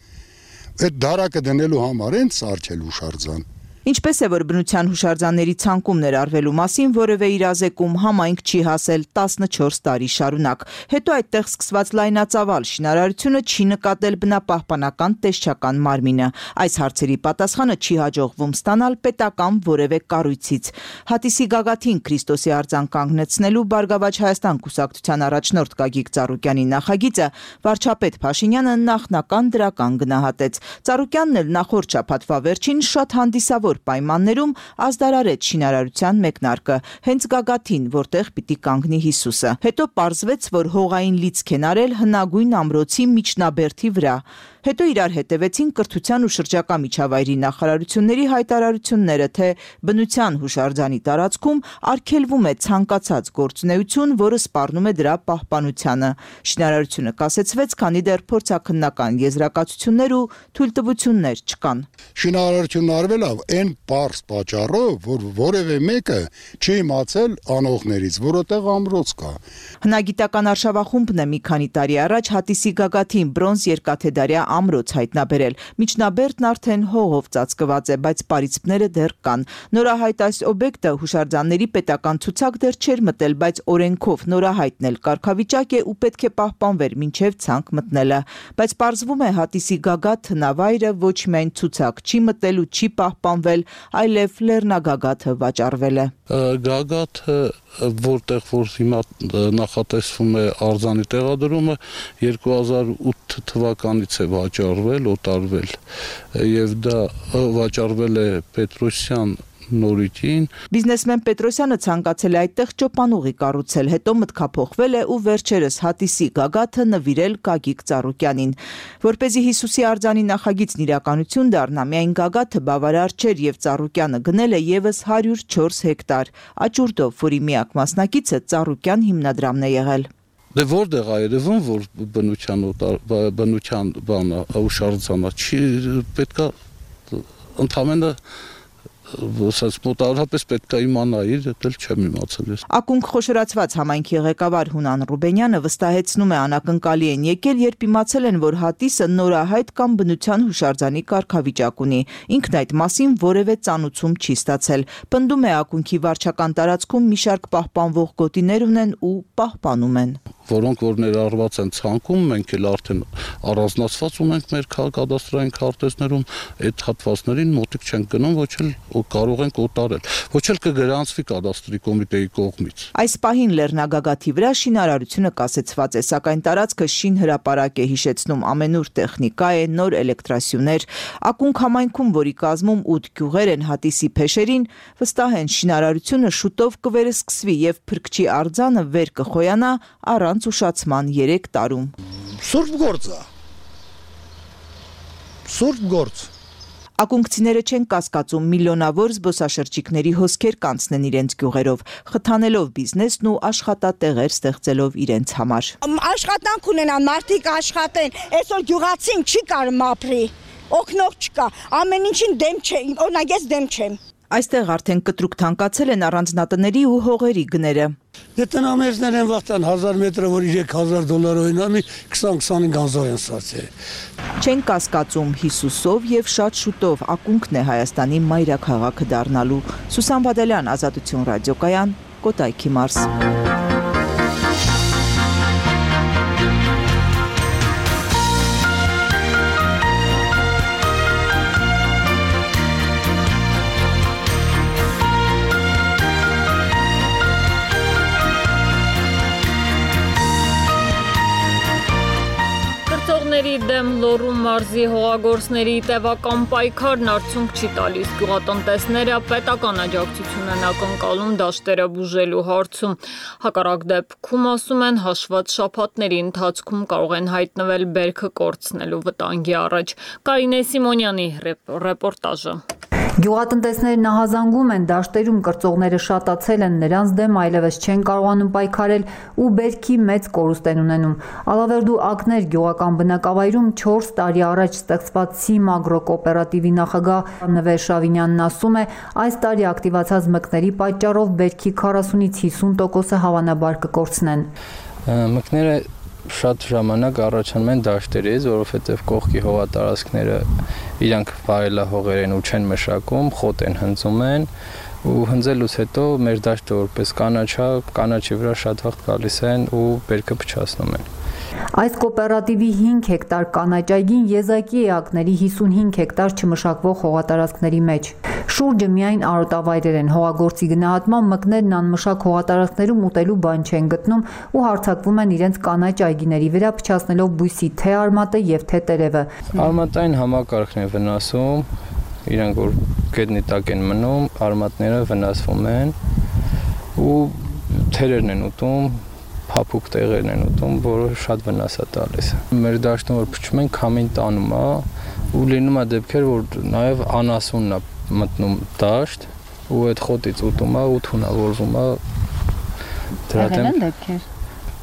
Այդ դարակը դնելու համար են սարքել հուշարձան։ Ինչպես է, որ բնության հուշարձանների ցանկում ներառվելու մասին որևէ իրազեկում համայնք չի հասել տասնչորս տարի շարունակ։ Հետո այդտեղ սկսված լայնածավալ շինարարությունը չի նկատել բնապահպանական տեսչական մարմինը։ Այս հարցերի պատասխանը չի հաջողվում ստանալ պետական որևէ կառույցից։ Հատիսի գագաթին Քրիստոսի արձան կանգնեցնելու Բարգավաճ Հայաստան կուսակցության առաջնորդ Գագիկ Ծառուկյանի նախագիծը վարչապետ Փաշինյանը նախնական դրական գնահատեց։ Ծառուկյանն էլ նախորդ շաբաթվա վերջին շատ հանդիսավոր պայմաններում ազդարարեց շինարարության մեկնարկը, հենց գագաթին, որտեղ պիտի կանգնի Հիսուսը։ Հետո պարզվեց, որ հողային լիցք են արել հնագույն ամրոցի միջնաբերդի վրա։ Հետո իրար հետևեցին կրթության ու շրջակա միջավայրի նախարարությունների հայտարարությունները, թե բնության հուշարձանի տարածքում արգելվում է ցանկացած գործունեություն, որը սպառնում է դրա պահպանությանը։ Շինարարությունը կասեցվեց, քանի դեռ փորձաքննական եզրակացություններ ու թույլտվություններ չկան։ Շինարարությունն արվել է այն պարզ պատճառով, որ որևէ մեկը չի իմացել անողներից, որովհետև ամրոց կա։ Հնագիտական արշավախումբն է մի քանի տարի առաջ Հատիսի գագաթին բրոնզ երկաթեդարյա ամրոց հայտնաբերել։ Միջնաբերդն արդեն հողով ծածկված է, բայց պարիսպները դեռ կան։ Նորահայտ այս օբյեկտը հուշարձանների պետական ցուցակ դեռ չէր մտել, բայց օրենքով նորահայտն էլ կարգավիճակ է ու պետք է պահպանվեր մինչև ցանկ մտնելը։ Բայց պարզվում է Հատիսի գագաթ հնավայրը ոչ միայն ցուցակ չի մտել ու չի պահպանվել, եղել, այլև լեռնագագաթը վաճառվել է։ Գագաթը, որտեղ որ հիմա նախատեսվում է արձանի տեղադրումը, երկու հազար ութ թվականից է վաճառվել, օտարվել, եւ դա վաճառվել է Պետրոսյան նորույթին։ Բիզնեսմեն Պետրոսյանը ցանկացել է այդտեղ ճոպանուղի կառուցել, հետո մտքափոխվել է ու վերջերս Հատիսի գագաթը նվիրել Գագիկ Ծառուկյանին։ Որպեսզի Հիսուսի արձանի նախագիծն իրականություն դառնա, միայն գագաթը բավարար չէր եւ Ծառուկյանը գնել է եւս հարյուր չորս հեկտար աճուրդով, որի միակ մասնակիցը Ծառուկյան հիմնադրամն է եղել։ Դե որտեղ է երևում, որ բնության բնության բանը ուշարձանա, չի պետքա ընդհանրապես Ոստած մոտավորապես պետք է իմանայի, դա չեմ իմացել ես։ Ակունք խոշորացված համայնքի ղեկավար Հունան Ռուբենյանը վստահեցնում է անակնկալի են եկել, երբ իմացել են, որ Հատիսը նորահայտ կամ բնության հուշարձանի կարգավիճակ ունի։ Ինքն այդ մասին որևէ ծանուցում չի ստացել։ Պնդում է ակունքի վարչական տարածքում մի շարք պահպանվող գոտիներ ունեն ու պահպանում են։ Որոնք որ ներառված են ցանկում, մենք էլ արդեն առանձնացված ունենք մեր կադաստրային քարտեզներում, այդ հատվածներին մոտիկ չենք գնում, ոչ էլ կարող ենք օտարել, ոչ էլ կգրանցվի կադաստրի կոմիտեի կողմից։ Այս պահին Լեռնագագաթի վրա շինարարությունը կասեցված է, սակայն տարածքը շինհրապարակ է, հիշեցնում ամենուր տեխնիկա է, նոր էլեկտրասյուներ։ Ակունք համայնքում, որի կազմում ութ գյուղեր են Հատիսի փեշերին, վստահ են շինարարությունը շուտով կվերսկսվի եւ Փրկչի արձանը վեր կխոյանա առանց ուշացման երեք տարում։ Սուրբ գործ է։ Սուրբ գործ։ Ակունքցիները չեն կասկածում միլիոնավոր զբոսաշրջիկների հոսքեր կանցնեն իրենց գյուղերով, խթանելով բիզնեսն ու աշխատատեղեր ստեղծելով իրենց համար։ Աշխատանք ունենան, մարդիկ աշխատեն, այսօր գյուղացին չի կարում ապրի, օգնող չկա, ամեն ինչին դեմ չեմ, օրինակ ես դեմ չեմ։ Այստեղ արդեն կտրուկ թանկացել են առանձնատների ու հողերի գները։ Դե տնամերձներ են վաղտան հազար մետրը, որ երեք հազար դոլար օրինամի քսան քսանհինգ հազար են ստացել։ Չեն կասկածում Հիսուսով եւ շատ շուտով ակունքն է Հայաստանի մայրաքաղաքը դառնալու։ Սուսան Բադալյան, Ազատություն ռադիոկայան, Կոտայքի մարզ։ Դեմ Լոռու մարզի հողագործների տևական պայքարն արդյունք չի տալիս։ Գյուղատնտեսները պետական աջակցություն են ակնկալում դաշտերը բուժելու հարցում։ Հակառակ դեպքում, ասում են, հաշված շաբաթների ընթացքում կարող են հայտնվել բերքը կորցնելու վտանգի առաջ։ Կարինե Սիմոնյանի ռեպորտաժը։ Գյուղատնտեսները նահազանգում են, դաշտերում կրծողները շատացել են, նրանց դեմ այլևս չեն կարողանում պայքարել ու բերքի մեծ կորուստ են ունենում։ Ալավերդու ակներ գյուղական բնակավայրում չորս տարի առաջ ստեղծված Սիմ Ագրո կոոպերատիվի նախագահ Նվեր Շավինյանն ասում է, այս տարի ակտիվացած մկների պատճառով բերքի քառասունից հիսուն տոկոսը հավանաբար կկորցնեն։ Մկները շատ ժամանակ առաջանում են դաշտերից, որովհետև կողքի հողատարածքները իրանք վարելահողեր են ու չեն մշակում, խոտ են հնձում են ու հնձելուց հետո մեր դաշտը որպես կանաչա, կանաչի վրա շատ վաղ գալիս են ու բերքը փչացնում են։ Այս կոոպերատիվի հինգ հեկտար կանաչ այգին եզակի է ակների հիսունհինգ հեկտար չմշակվող հողատարածքների մեջ։ Շուրջը միայն արոտավայրեր են, հողագործի գնահատման մկներն անմշակ հողատարածքներում ուտելու բան չեն գտնում ու հարձակվում են իրենց կանաչ այգիների վրա, փչացնելով բույսի թե արմատը եւ թե տերևը։ Արմատային համակարգն է վնասում, իրանք որ գետնի տակ են մնում, արմատները վնասվում են ու թերերն են ուտում, փափուկ տեղերն են ուտում, որը շատ վնաս է տալիս։ Մեր դաշտում որ փչում են, քամին տանում է ու լինում է դեպքեր, որ նաև անասունն է մտնում դաշտ ու այդ խոտից ուտում է ու թունավորվում է։ Դրա դեմ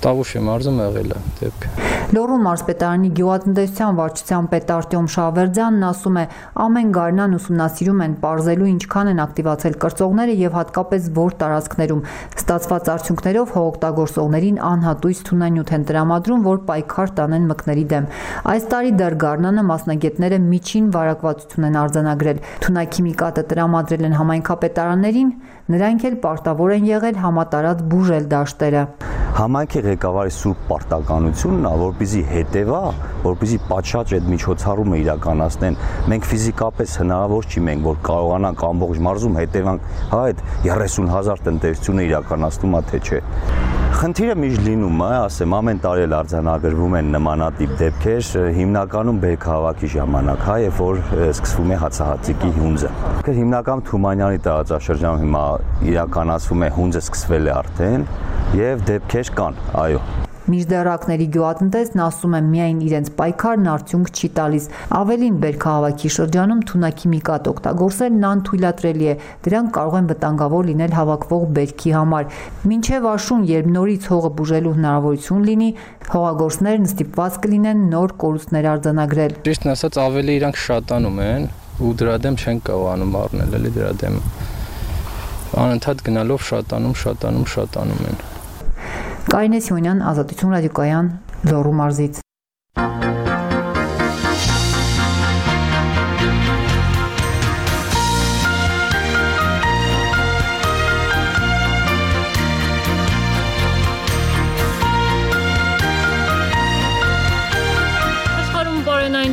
Տավուշի մարզում եղել է դեպքը։ Լոռու մարզպետարանի գյուղատնտեսության վարչության պետ Արտյոմ Շահվերդյանն ասում է, ամեն գարնան ուսումնասիրում են պարզելու ինչքան են ակտիվացել կրծողները եւ հատկապես որ տարածքներում։ Ստացված արդյունքներով հողօգտագործողներին անհատույց թունանյութ են տրամադրում, որ պայքար տանեն մկների դեմ։ Այս տարի դեռ գարնանը մասնագետները միջին վարակվածություն են արձանագրել։ Թունաքիմիկատը տրամադրել են համայնքապետարաններին, նրանք էլ պարտավոր են եղել համատարած բուժել դաշտերը։ Համայնքի ղեկավարի սուրբ պարտականությունն է, որպեսզի հետևա, որպեսզի պատշաճ այդ միջոցառումը իրականացնեն, մենք ֆիզիկապես հնարավոր չի մենք, որ կարողանանք ամբողջ մարզում հետևանք, հա այդ երեսուն հազար տնտեսությունը իրականացնում է թե չէ։ Խնդիրը միշտ լինում է, ասեմ, ամեն տարի էլ արձանագրվում են նմանատիպ դեպքեր, հիմնականում բերքահավաքի ժամանակ, հա, երբ որ սկսվում է հացահատիկի հունձը։ Հիմնական Թումանյանի տարածաշրջանում հիմա իրականացվում է հունձը սկսվել է արդեն եւ դեպքեր կան, այո։ Միջդեռակների գյուղատնտեսն ասում է միայն իրենց պայքարն արդյունք չի տալիս։ Ավելին բերքահավաքի շրջանում թունաքիմիկատ օգտագործելն անթույլատրելի է, դրանք կարող են վտանգավոր լինել հավաքվող բերքի համար։ Մինչև աշուն, երբ նորից հողը բուժելու հնարավորություն լինի, հողագործներն ստիպված կլինեն նոր կորուստներ արձանագրել։ Ճիշտն ասած, ավելի իրանք շատանում են ու դրա դեմ չեն կարողանում առնել էլի դրա դեմ։ Անընդհատ գնալով շատանում, շատանում, շատանում են։ Կարինե Սյունյան, Ազատություն ռադիոկայան, Լոռու մարզից։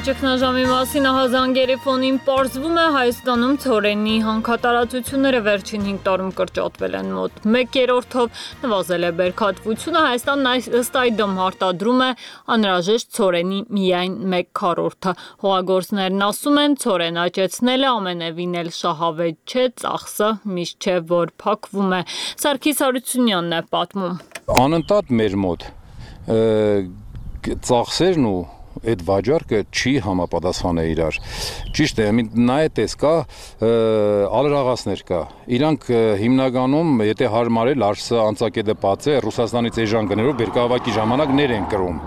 Ճգնաժամի մասին ահազանգերի ֆոնին պարզվում է Հայաստանում ցորենի հանքատարածությունները վերջին հինգ տարում կրճատվել են մոտ մեկ երրորդով, նվազել է բերքատվությունը, Հայաստանն ըստ այդմ արտադրում է անհրաժեշտ ցորենի միայն մեկ քառորդը։ Հողագործներն ասում են, ցորեն աճեցնելը ամենևին էլ շահավետ չէ, ծախսը միշտ չէ, որ փակվում է։ Սարգիս Հարությունյանն է պատմում։ Անընդհատ մեր մոտ ծախսերն ու այդ վաճառքը չի համապատասխան է իրար։ Ճիշտ է, նա է տես կա, ալրաղասներ կա։ Իրանք հիմնականում, եթե հարմարել արսը անցակետը պաց է, Ռուսաստանից էժան գներով բերքահավաքի ժամանակ ներ են կրում։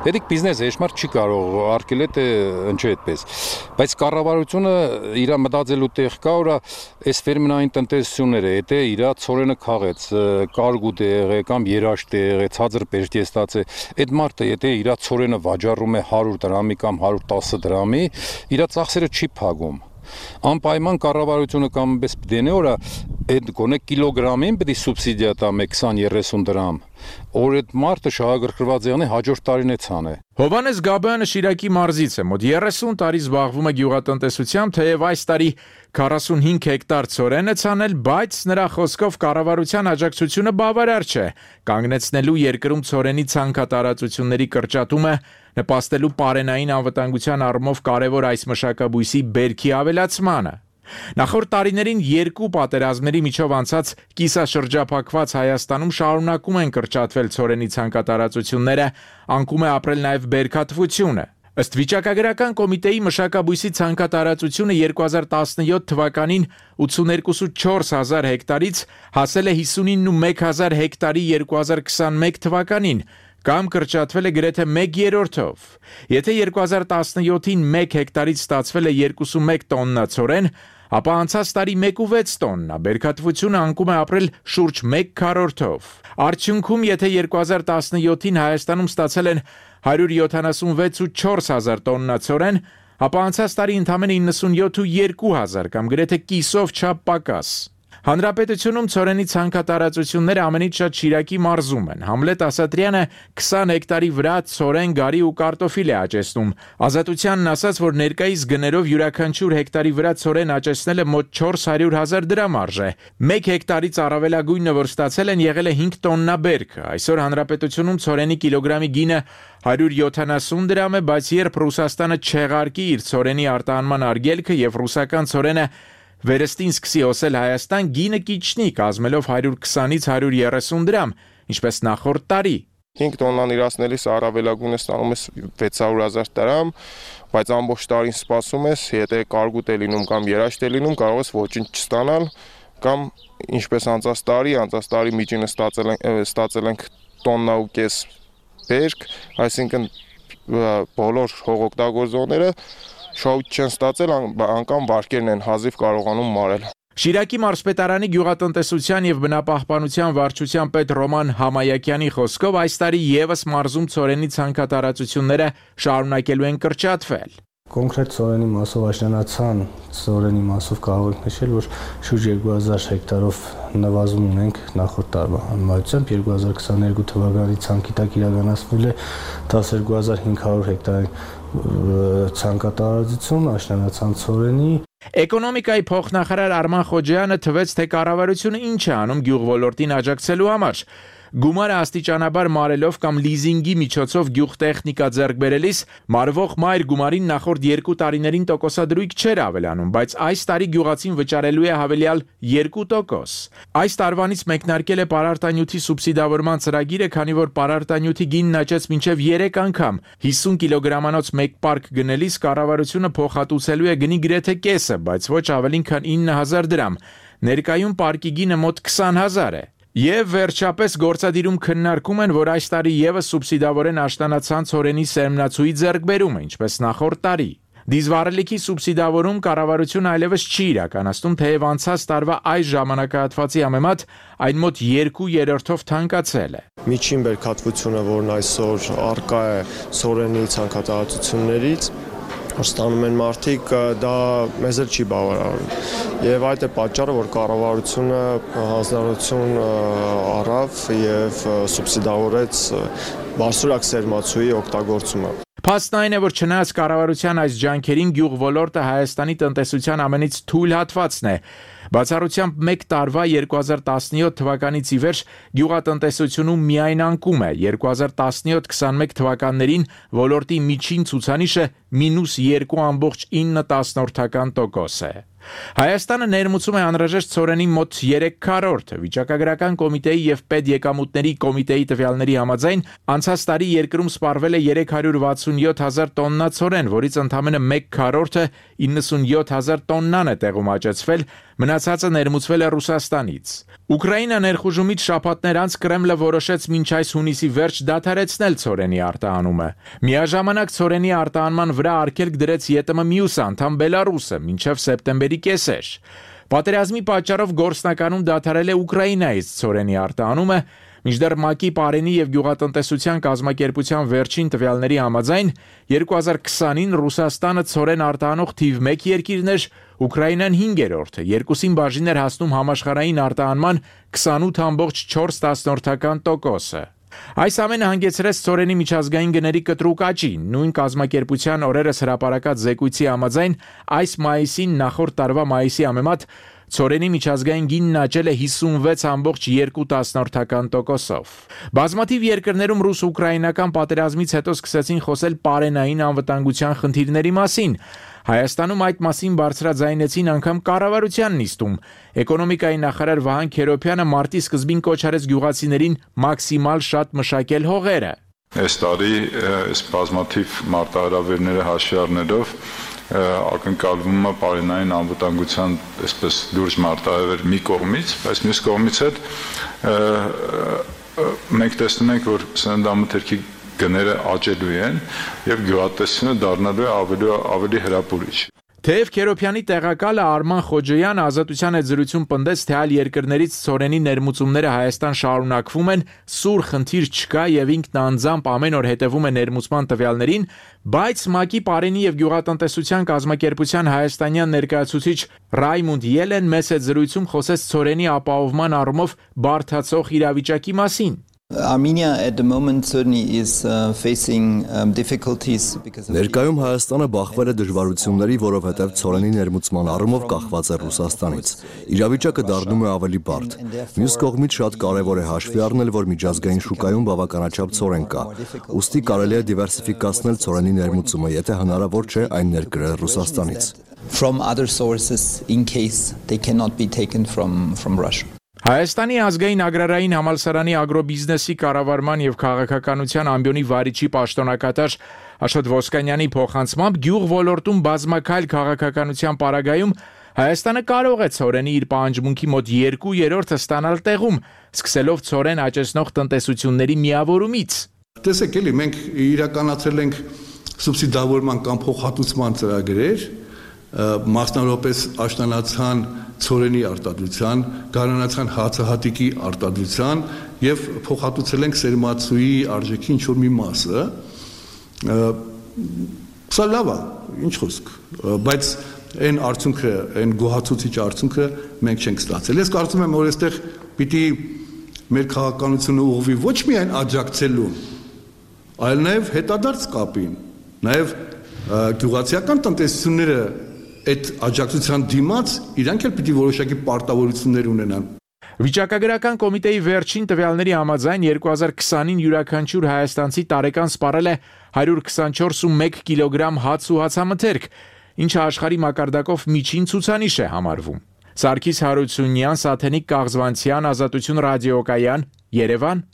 Դետիք բիզնես էշմար չի կարող արկել է ընչե այդպես։ Բայց կառավարությունը իր մտածելու տեղ կա, որ այս ֆերմերային տնտեսությունները, եթե իր ցորենը քաղեց, կարգուտ է եղել կամ երաշտ է եղել, ցածր բերքի է ստացել, այդ մարդը եթե իր ցորենը վաճառում է հարյուր դրամի կամ հարյուր տասը դրամի, իր ծախսերը չի փակում։ Անպայման կառավարությունը կամ պես դենե օրա այդ գոնե կիլոգրամին պետք է սուբսիդիա տա քսան երեսուն դրամ։ Որ այդ մարդը շահագրգռված եղնի հաջորդ տարին է ցանը։ Հովհաննես Գաբայանը Շիրակի մարզից է, մոտ երեսուն տարի զբաղվում է գյուղատնտեսությամբ, թեև այս տարի քառասունհինգ հեկտար ցորեն է ցանել, բայց նրա խոսքով կառավարության աջակցությունը բավարար չէ։ Կանգնեցնելու երկրում ցորենի ցանքատարածությունների կրճատումը նպաստելու պարենային անվտանգության առումով կարևոր այս մշակաբույսի բերքի ավելացմանը։ Նախորդ տարիներին երկու պատերազմների միջով անցած կիսաշրջափակված Հայաստանում շարունակում են կրճատվել ցորենի ցանքատարածությունները, անկում է ապրել նաև բերքատվությունը։ Ըստ վիճակագրական կոմիտեի մշակաբույսի ցանքատարածությունը երկու հազար տասնյոթ թվականին ութսուներկու հազար հեկտարից հասել է հիսունինմեկ հազար հեկտարի երկու հազար քսանմեկ թվականին, կամ կրճատվել է գրեթե մեկ երրորդով։ Եթե երկու հազար տասնյոթին մեկ հեկտարից ստացվել է երկուսունմեկ տոննա ցորեն, ապա անցած տարի մեկ ու վեց տոննա, բերքատվությունը անկում է ապրել շուրջ մեկ քառորդով։ Արդյունքում, եթե երկու հազար տասնյոթին Հայաստանում ստացել են հարյուր յոթանասունվեց ու չորս հազար տոննա ցորեն, ապա անցած տարի ընդամենը իննսունյոթ ու երկու հազար կամ գրեթե կիսով չափ պակաս։ Հանրապետությունում ցորենի ցանքատարածությունները ամենից շատ Շիրակի մարզում են։ Համլետ Ասատրյանը քսան հեկտարի վրա ցորեն, գարի ու կարտոֆիլ է աճեցնում։ Ազատությանն ասաց, որ ներկայիս գներով յուրաքանչյուր հեկտարի վրա ցորեն աճեցնելը մոտ չորս հարյուր հազար դրամ արժե։ Մեկ հեկտարից առավելագույնը, որ ստացել են, եղել է հինգ տոննա բերք։ Այսօր հանրապետությունում ցորենի կիլոգրամի գինը հարյուր յոթանասուն դրամ է, բայց երբ Ռուսաստանը չեղարկի իր ցորենի արտահանման արգելքը եւ ռուսական ցորենը վերստին սկսի հոսել Հայաստան, գինը կիչնի, կազմելով հարյուր քսանից հարյուր երեսուն դրամ, ինչպես նախորդ տարի։ հինգ տոննան իրացնելիս առավելագույնը ստանում ես վեց հարյուր հազար դրամ, բայց ամբողջ տարին սպասում ես, եթե կարգուտ է լինում կամ երաշտ է լինում, կարող ես ոչինչ չստանալ, կամ ինչպես անցած տարի, անցած տարի միջինը ստացել ենք, ստացել ենք տոննա ու կես բերք, այսինքն բոլոր հողօգտագործողները շահույթ չեն ստացել, անգամ վարկերն են հազիվ կարողանում մարել։ Շիրակի մարզպետարանի գյուղատնտեսության եւ բնապահպանության վարչության պետ Ռոման Համայակյանի խոսքով այս տարի եւս մարզում ցորենի ցանքատարածությունները շարունակելու են կրճատվել։ Կոնկրետ ծորենի մասով աշնանացան ծորենի մասով կարող ենք նշել, որ շուրջ երկու հազար հեկտարով նվազում ունենք նախորդ տարվա համեմատությամբ երկու հազար քսաներկու թվականի ցանկի տակ իրականացվել է տասներկու հազար հինգ հարյուր հեկտար ցանկատարածություն աշնանացան ծորենի։ Էկոնոմիկայի փոխնախարար Արման Խոջյանը թվեց, թե կառավարությունը ինչ է անում գյուղոլորտին աջակցելու համար։ Գումարը աստիճանաբար մարելով կամ լիզինգի միջոցով գյուղտեխնիկա ձեռք բերելիս մարվող մայր գումարին նախորդ երկու տարիներին տոկոսադրույք չէր ավելանում, բայց այս տարի գյուղացին վճարելու է հավելյալ երկու տոկոս։ Այս տարվանից մեկնարկել է պարարտանյութի սուբսիդավորման ծրագիրը, քանի որ պարարտանյութի գինն աճեց մինչև երեք անգամ։ հիսուն կիլոգրամանոց մեկ պարկ գնելիս կառավարությունը փոխհատուցելու է գնի գրեթե կեսը, բայց ոչ ավելին քան ինը հազար դրամ։ Ներկայում պարկի գինը մոտ քսան հազար է։ Եվ վերջապես գործադիրում քննարկում են, որ այս տարի եւս սուբսիդավորեն աշտանացան ծորենի սերմնացուի ձեռքբերումը, ինչպես նախորդ տարի։ Դիզվառելիքի սուբսիդավորում կառավարությունը այլևս չի իրականացնում, թեև անցած տարվա այս ժամանակահատվածի համեմատ այն մոտ երկու երրորդով թանկացել է։ Միջին բերքատվությունը, որն այսօր առկա է ծորենի ցանկատարածություններից, ստանում են մարդիկ, դա մեզ էլ չի բավարարում։ Եվ այդ է պատճառը, որ կառավարությունը հանձնարարություն առավ եւ սուբսիդավորեց բարձրակ սերմացուի օգտագործումը։ Փաստն այն է, որ չնայած կառավարության այս ջանքերին գյուղ ոլորտը Հայաստանի տնտեսության ամենից թույլ հատվածն է։ Բացառությամբ մեկ տարվա երկու հազար տասնյոթ թվականից ի վեր գյուղատնտեսությունում միայն անկում է, երկու հազար տասնյոթ քսանմեկ թվականներին ոլորտի միջին ցուցանիշը մինուս երկու կόμμα ինը տոկոս է։ Հայաստանը ներմուծում է անհրաժեշտ ծորենի մոտ երեք քառորդը։ Վիճակագրական կոմիտեի եւ պետեկամուտների կոմիտեի տվյալների համաձայն անցած տարի երկրում սպառվել է երեք հարյուր վաթսունյոթ հազար տոննա ծորեն, որից ընդամենը մեկ քառորդը իննսունյոթ հազար տոննան է տեղում աճեցվել, մնացածը ներմուծվել է Ռուսաստանից։ Ուկրաինա ներխուժումից շաբաթներ անց Կրեմլը որոշեց մինչ այս հունիսի վերջ դադարեցնել ծորենի արտահանումը։ Միաժամանակ ծորենի արտահանման վրա արգելք դրեց ԵՏՄ մյուս անդամ Բելարուսը մինչև սեպտեմբերի կեսեր։ Պատերազմի պատճառով գործնականում դադարել է Ուկրաինայից ծորենի արտահանումը, մինչդեռ ՄԱԿ-ի Պարենի եւ գյուղատնտեսության կազմակերպության վերջին տվյալների համաձայն երկու հազար քսանին Ռուսաստանը ծորեն արտահանող թիվ մեկ երկիրն էր, Ուկրաինան հինգերորդը, երկուսին բաժին էր հասնում համաշխարհային արտահանման քսանութ կόμμα չորս տոկոսը։ Այս ամենը հանգեցրեց ծորենի միջազգային գների կտրուկ աճին։ Նույն կազմակերպության օրերս հրապարակած զեկույցի համաձայն այս մայիսին նախորդ տարվա մայիսի համեմատ ծորենի միջազգային գինն աճել է հիսունվեց կόμμα երկու տոկոսով։ Բազմաթիվ երկրներում ռուս-ուկրաինական պատերազմից հետո սկսեցին խոսել պարենային անվտանգության խնդիրների մասին։ Հայաստանում այդ մասին բարձրաձայնեցին անգամ կառավարության նիստում։ Էկոնոմիկայի նախարար Վահան Քերոբյանը մարտի սկզբին կոչ արեց գյուղացիներին մաքսիմալ շատ մշակել հողերը։ Այս տարի այս բազմաթիվ մարտահրավերները հաշվի առնելով ակնկալվում է պարենային անվտանգության այսպես լուրջ մարտահրավեր մի կողմից, բայց մյուս կողմից հետ մենք տեսնում ենք, որ սննդամթերքի գները աճելու են եւ գյուղատնտեսությունը դառնալու է ավելի ավելի հրապուրիչ։ Թեև Քերոբյանի տեղակալը Արման Խոջոյանը Ազատության հետ զրույցում պնդեց, թե այլ երկրներից ծորենի ներմուծումները Հայաստան շարունակվում են, սուր խնդիր չկա եւ ինքն անձամբ ամեն օր հետևում է ներմուծման տվյալներին, բայց ՄԱԿ-ի Պարենի եւ գյուղատնտեսության կազմակերպության հայաստանյան ներկայացուցիչ Ռայմունդ Ելեն մեծ հետ զրույցում խոսեց ծորենի ապահովման առումով բարդացող իրավիճակի մասին։ Armenia at the moment certainly is uh, facing um, difficulties because of Ներկայում Հայաստանը բախվել է դժվարությունների, որովհետև ծորենի ներմուծման առումով կախված է Ռուսաստանից։ Իրավիճակը դառնում է ավելի բարդ։ Մյուս կողմից շատ կարևոր է հաշվի առնել, որ միջազգային շուկայում բավականաչափ ծորեն կա։ Ուստի կարելի է դիվերսիֆիկացնել ծորենի ներմուծումը, եթե հնարավոր չէ այն ներկրել Ռուսաստանից։ From other sources in case they cannot be taken from from Russia. Հայաստանի ազգային ագրարային համալսարանի ագրոբիզնեսի կառավարման եւ քաղաքականության ամբիոնի վարիչի պաշտոնակատար Աշոտ Ոսկանյանի փոխանցմամբ գյուղ ոլորտում բազմակայլ քաղաքականության պարագայում Հայաստանը կարող է ծորենի իր պահանջմունքի մոտ երկու երրորդը ստանալ տեղում, սկսելով ծորեն աճեցնող տնտեսությունների միավորումից։ Տեսեք, էլի մենք իրականացրել ենք սուբսիդավորման կամ փոխհատուցման ծրագրեր, մասնավորապես աշնանացան ծորենի արտադրության, գարանացան հացահատիկի արտադրության եւ փոխհատուցել ենք սերմացուի արժեքի ինչ որ մի մասը։ Սա լավ է, ինչ խոսք, բայց այն արդյունքը, այն գոհացուցիչ արդյունքը մենք չենք ստացել։ Ես կարծում եմ, որ այստեղ պիտի մեր քաղաքականությունը ուղղվի ոչ միայն աջակցելու, այլ նաև հետադարձ կապին, նաև գյուղացիական տնտեսությունները այդ աջակցության դիմաց իրանք էլ պիտի որոշակի պարտավորություններ ունենան։ Վիճակագրական կոմիտեի վերջին տվյալների համաձայն երկու հազար քսանին յուրաքանչյուր հայաստանցի տարեկան սպառել է հարյուր քսանչորս կόμμα մեկ կիլոգրամ հաց ու հացամթերք, ինչը աշխարհի մակարդակով միջին ցուցանիշ է համարվում։ Սարգիս Հարությունյան, Սաթենիկ Կաղզվանցյան, Ազատություն ռադիոկայան, Երևան։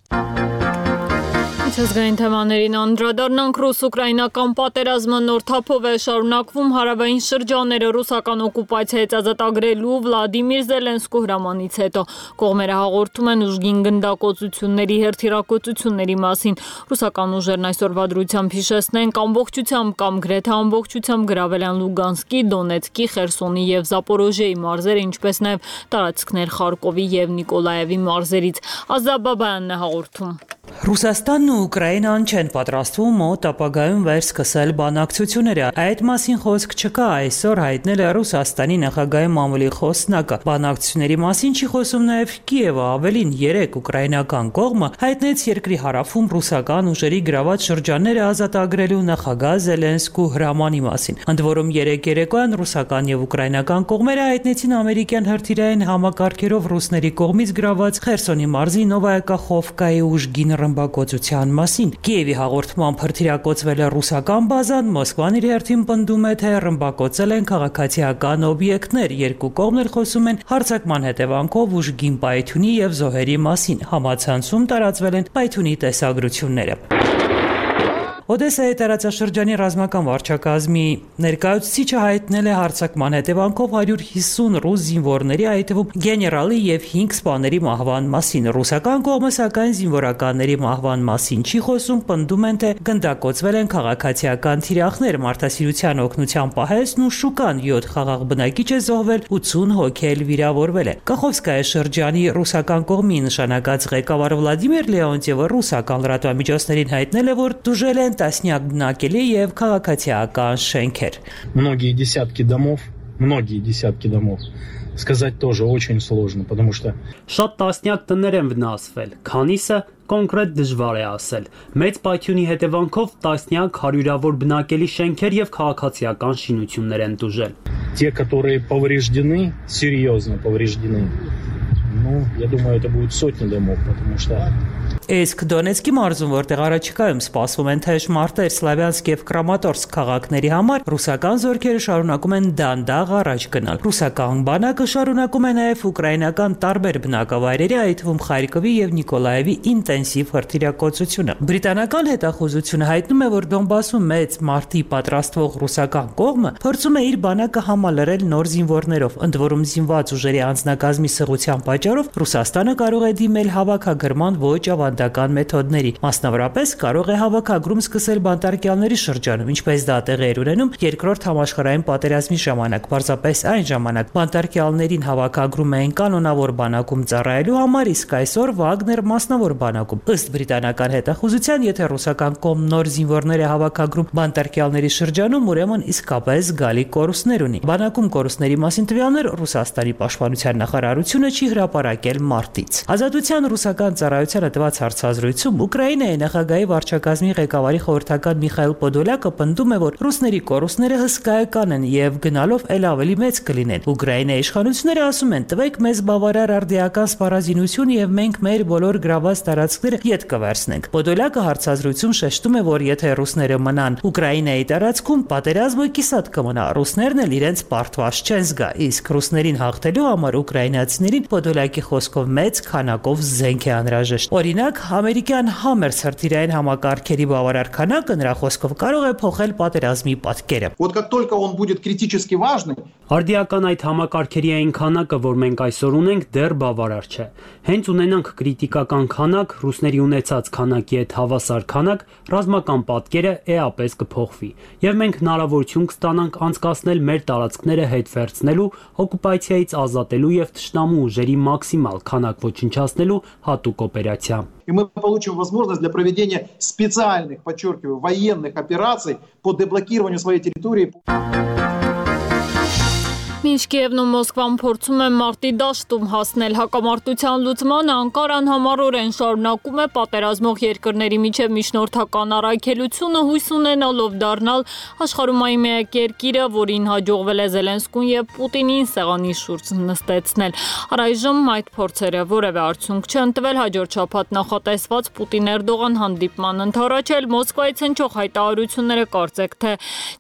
Ցեղային թեմաներին անդրադառնանք ռուս-ուկրաինական պատերազմը նոր թափով է շարունակվում հարավային շրջանները ռուսական օկուպացիայից ազատագրելու Վլադիմիր Զելենսկու հրամանից հետո կողմերը հաղորդում են ուժգին գնդակոծությունների հերթիրակոծությունների մասին։ Ռուսական ուժերն այսօրվա դրությամբ հիշեցնենք ամբողջությամբ կամ գրեթե ամբողջությամբ գրավել են Լուգանսկի, Դոնեցկի, Խերսոնի եւ Զապորոժիեի մարզերը, ինչպես նաեւ տարածքներ Խարկովի եւ Նիկոլաևի մարզերից։ Ազատ Բաբայանն է հաղորդում։ Ռուսաստանն ու Ուկրաինան չեն պատրաստվում մոտ ապագայում վերսկսել բանակցությունները։ Այդ մասին խոսք չկա, այսօր հայտնել է Ռուսաստանի նախագահի մամուլի խոսնակը։ Բանակցությունների մասին չի խոսում նաև Կիևը, ավելին երեք ուկրաինական կողմը հայտնեց երկրի հարավում ռուսական ուժերի գրաված շրջանները ազատագրելու նախագահ Զելենսկու հրամանի մասին։ Ընդ որում երեք երեկոյան ռուսական եւ ուկրաինական կողմերը հայտնեցին ամերիկյան հրթիռային համակարգերով ռուսների կողմից գրաված Խերսոնի մարզի Նովայա Կախովկայի ուժգին ռմբակոծության մասին։ Կիևի հաղորդմամբ հրթիռակոծվել է ռուսական բազան, Մոսկվան իր հերթին պնդում է, թե ռմբակոծել են քաղաքացիական օբյեկտներ։ Երկու կողմն էլ խոսում են հարձակման հետևանքով ուժգին պայթյունի եւ զոհերի մասին։ Համացանցում տարածվել են պայթյունի տեսագրությունները։ Օդեսայի տարածաշրջանի ռազմական վարչակազմի ներկայացուցիչը հայտնել է հարձակման հետևանքով հարյուր հիսուն ռուս զինվորների, այդ թվում գեներալի եւ հինգ սպաների մահվան մասին։ Ռուսական կողմը սակայն զինվորականների մահվան մասին չի խոսում, պնդում են, թե գնդակոծվել են քաղաքացիական թիրախներ, մարդասիրության օգնության պահեսն ու շուկան յոթ խաղաղ բնակիչ է զոհվել, ութուն հոգի էլ վիրավորվել է։ Կախովսկայի շրջանի ռուսական կողմի նշանակած ղեկավար Վլադիմիր Լեոնտիևը ռուսական լրատվամիջոցներին հայտնել է, որ դժել են տասնյակ բնակելի եւ քաղաքացիական շենքեր։ Многие десятки домов, многие десятки домов. Сказать тоже очень сложно, потому что շատ տասնյակ տներ են վնասվել, քանիսը կոնկրետ դժվար է ասել։ Մեծ պայթյունի հետևանքով տասնյակ հարյուրավոր բնակելի շենքեր եւ քաղաքացիական շինություններ են դժել։ Те, которые повреждены, серьезно повреждены. Ну, я думаю, это будет сотни домов, потому что Իսկ Դոնեցկի մարզում, որտեղ առաջիկայում սպասվում են թեժ մարտեր Սլավյանսկ եւ Կրամատորսկ քաղաքների համար, ռուսական զորքերը շարունակում են դանդաղ առաջ գնալ։ Ռուսական բանակը շարունակում է նաեւ ուկրաինական տարբեր բնակավայրերի, այդ թվում Խարկովի եւ Նիկոլաևի ինտենսիվ հրթիռակոծությունը։ Բրիտանական հետախուզությունը հայտնում է, որ Դոնբասում մեծ մարտի պատրաստվող ռուսական կողմը փորձում է իր բանակը համալրել նոր զինվորներով, ընդ որում զինված ուժերի անձնակազմի սղության պատճառով Ռուսաստանը կարող է դիմել հավաքագրման ոչ ավանդական մեթոդների։ Մասնավորապես կարող է հավաքագրում սկսել բանտարկյալների շրջանում, ինչպես դա տեղի էր ունենում երկրորդ համաշխարհային պատերազմի ժամանակ։ Պարզապես այն ժամանակ բանտարկյալներին հավաքագրում էին կանոնավոր բանակում ծառայելու համար, իսկ այսօր Վագներ մասնավոր բանակում։ Ըստ բրիտանական հետախուզության, եթե ռուսական կողմն նոր զինվորներ է հավաքագրում բանտարկյալների շրջանում, ուրեմն իսկապես զգալի կորուստներ ունի։ Բանակում կորուստների մասին տվյալներ Ռուսաստանի պաշտպանության նախարարությունը չի հրապարակել մարտից։ Ազատության ռուսական ծառայությանը տված հարցազրույցում Ուկրաինայի նախագահի վարչակազմի ղեկավարի խորհրդական Միխայել Պոդոլյակը պնդում է, որ ռուսների կորուստները հսկայական են եւ գնալով ել ավելի մեծ կլինեն։ Ուկրաինայի իշխանությունները ասում են՝ տվեք մեզ բավարար արդիական սպառազինություն եւ մենք մեր բոլոր գրաված տարածքները յետ կվերցնենք։ Պոդոլյակը հարցազրույցում շեշտում է, որ եթե ռուսները մնան Ուկրաինայի տարածքում, պատերազմը կիսատ կմնա։ Ռուսներն էլ իրենց պարտված չեն զգա, իսկ ռուսներին հաղթելու համար ուկրաինացիներին Պոդոլյակի խոսքով մեծ քանակով զենք է անհրաժեշտ։ Օրինակ, ամերիկյան Համերս հրթիռային համակարգերի բավարար քանակը նրա խոսքով կարող է փոխել պատերազմի պատկերը։ Вот как только он будет критически важный, արդիական այդ համակարգերի այն քանակը, որ մենք այսօր ունենք, դեռ բավարար չէ։ Հենց ունենանք կրիտիկական քանակ, ռուսների ունեցած քանակի հետ հավասար քանակ, ռազմական պատկերը էապես կփոխվի, եւ մենք հնարավորություն կստանանք անցկացնել մեր տարածքները հետ վերցնելու, օկուպացիայից ազատելու եւ թշնամու ուժերի մաքսիմալ քանակ ոչնչացնելու հատուկ օպերացիա։ И мы получим возможность для проведения специальных, подчеркиваю, военных операций по деблокированию своей территории. Մինչ Կիևն ու Մոսկվան փորձում են մարտի դաշտում հասնել հակամարտության լուծմանը, Անկարան համառորեն շարունակում է պատերազմող երկրների միջև միջնորդական առաքելությունը, հույս ունենալով դառնալ աշխարհում միակ երկիրը, որին հաջողվել է Զելենսկուն եւ Պուտինին սեղանի շուրջ նստեցնել։ Առայժմ այդ փորձերը որևէ արդյունք չեն տվել, հաջորդ շաբաթ նախատեսված Պուտին-Էրդողան հանդիպման ընթരാճել Մոսկվայից հնչող հայտարարությունները կարծեք թե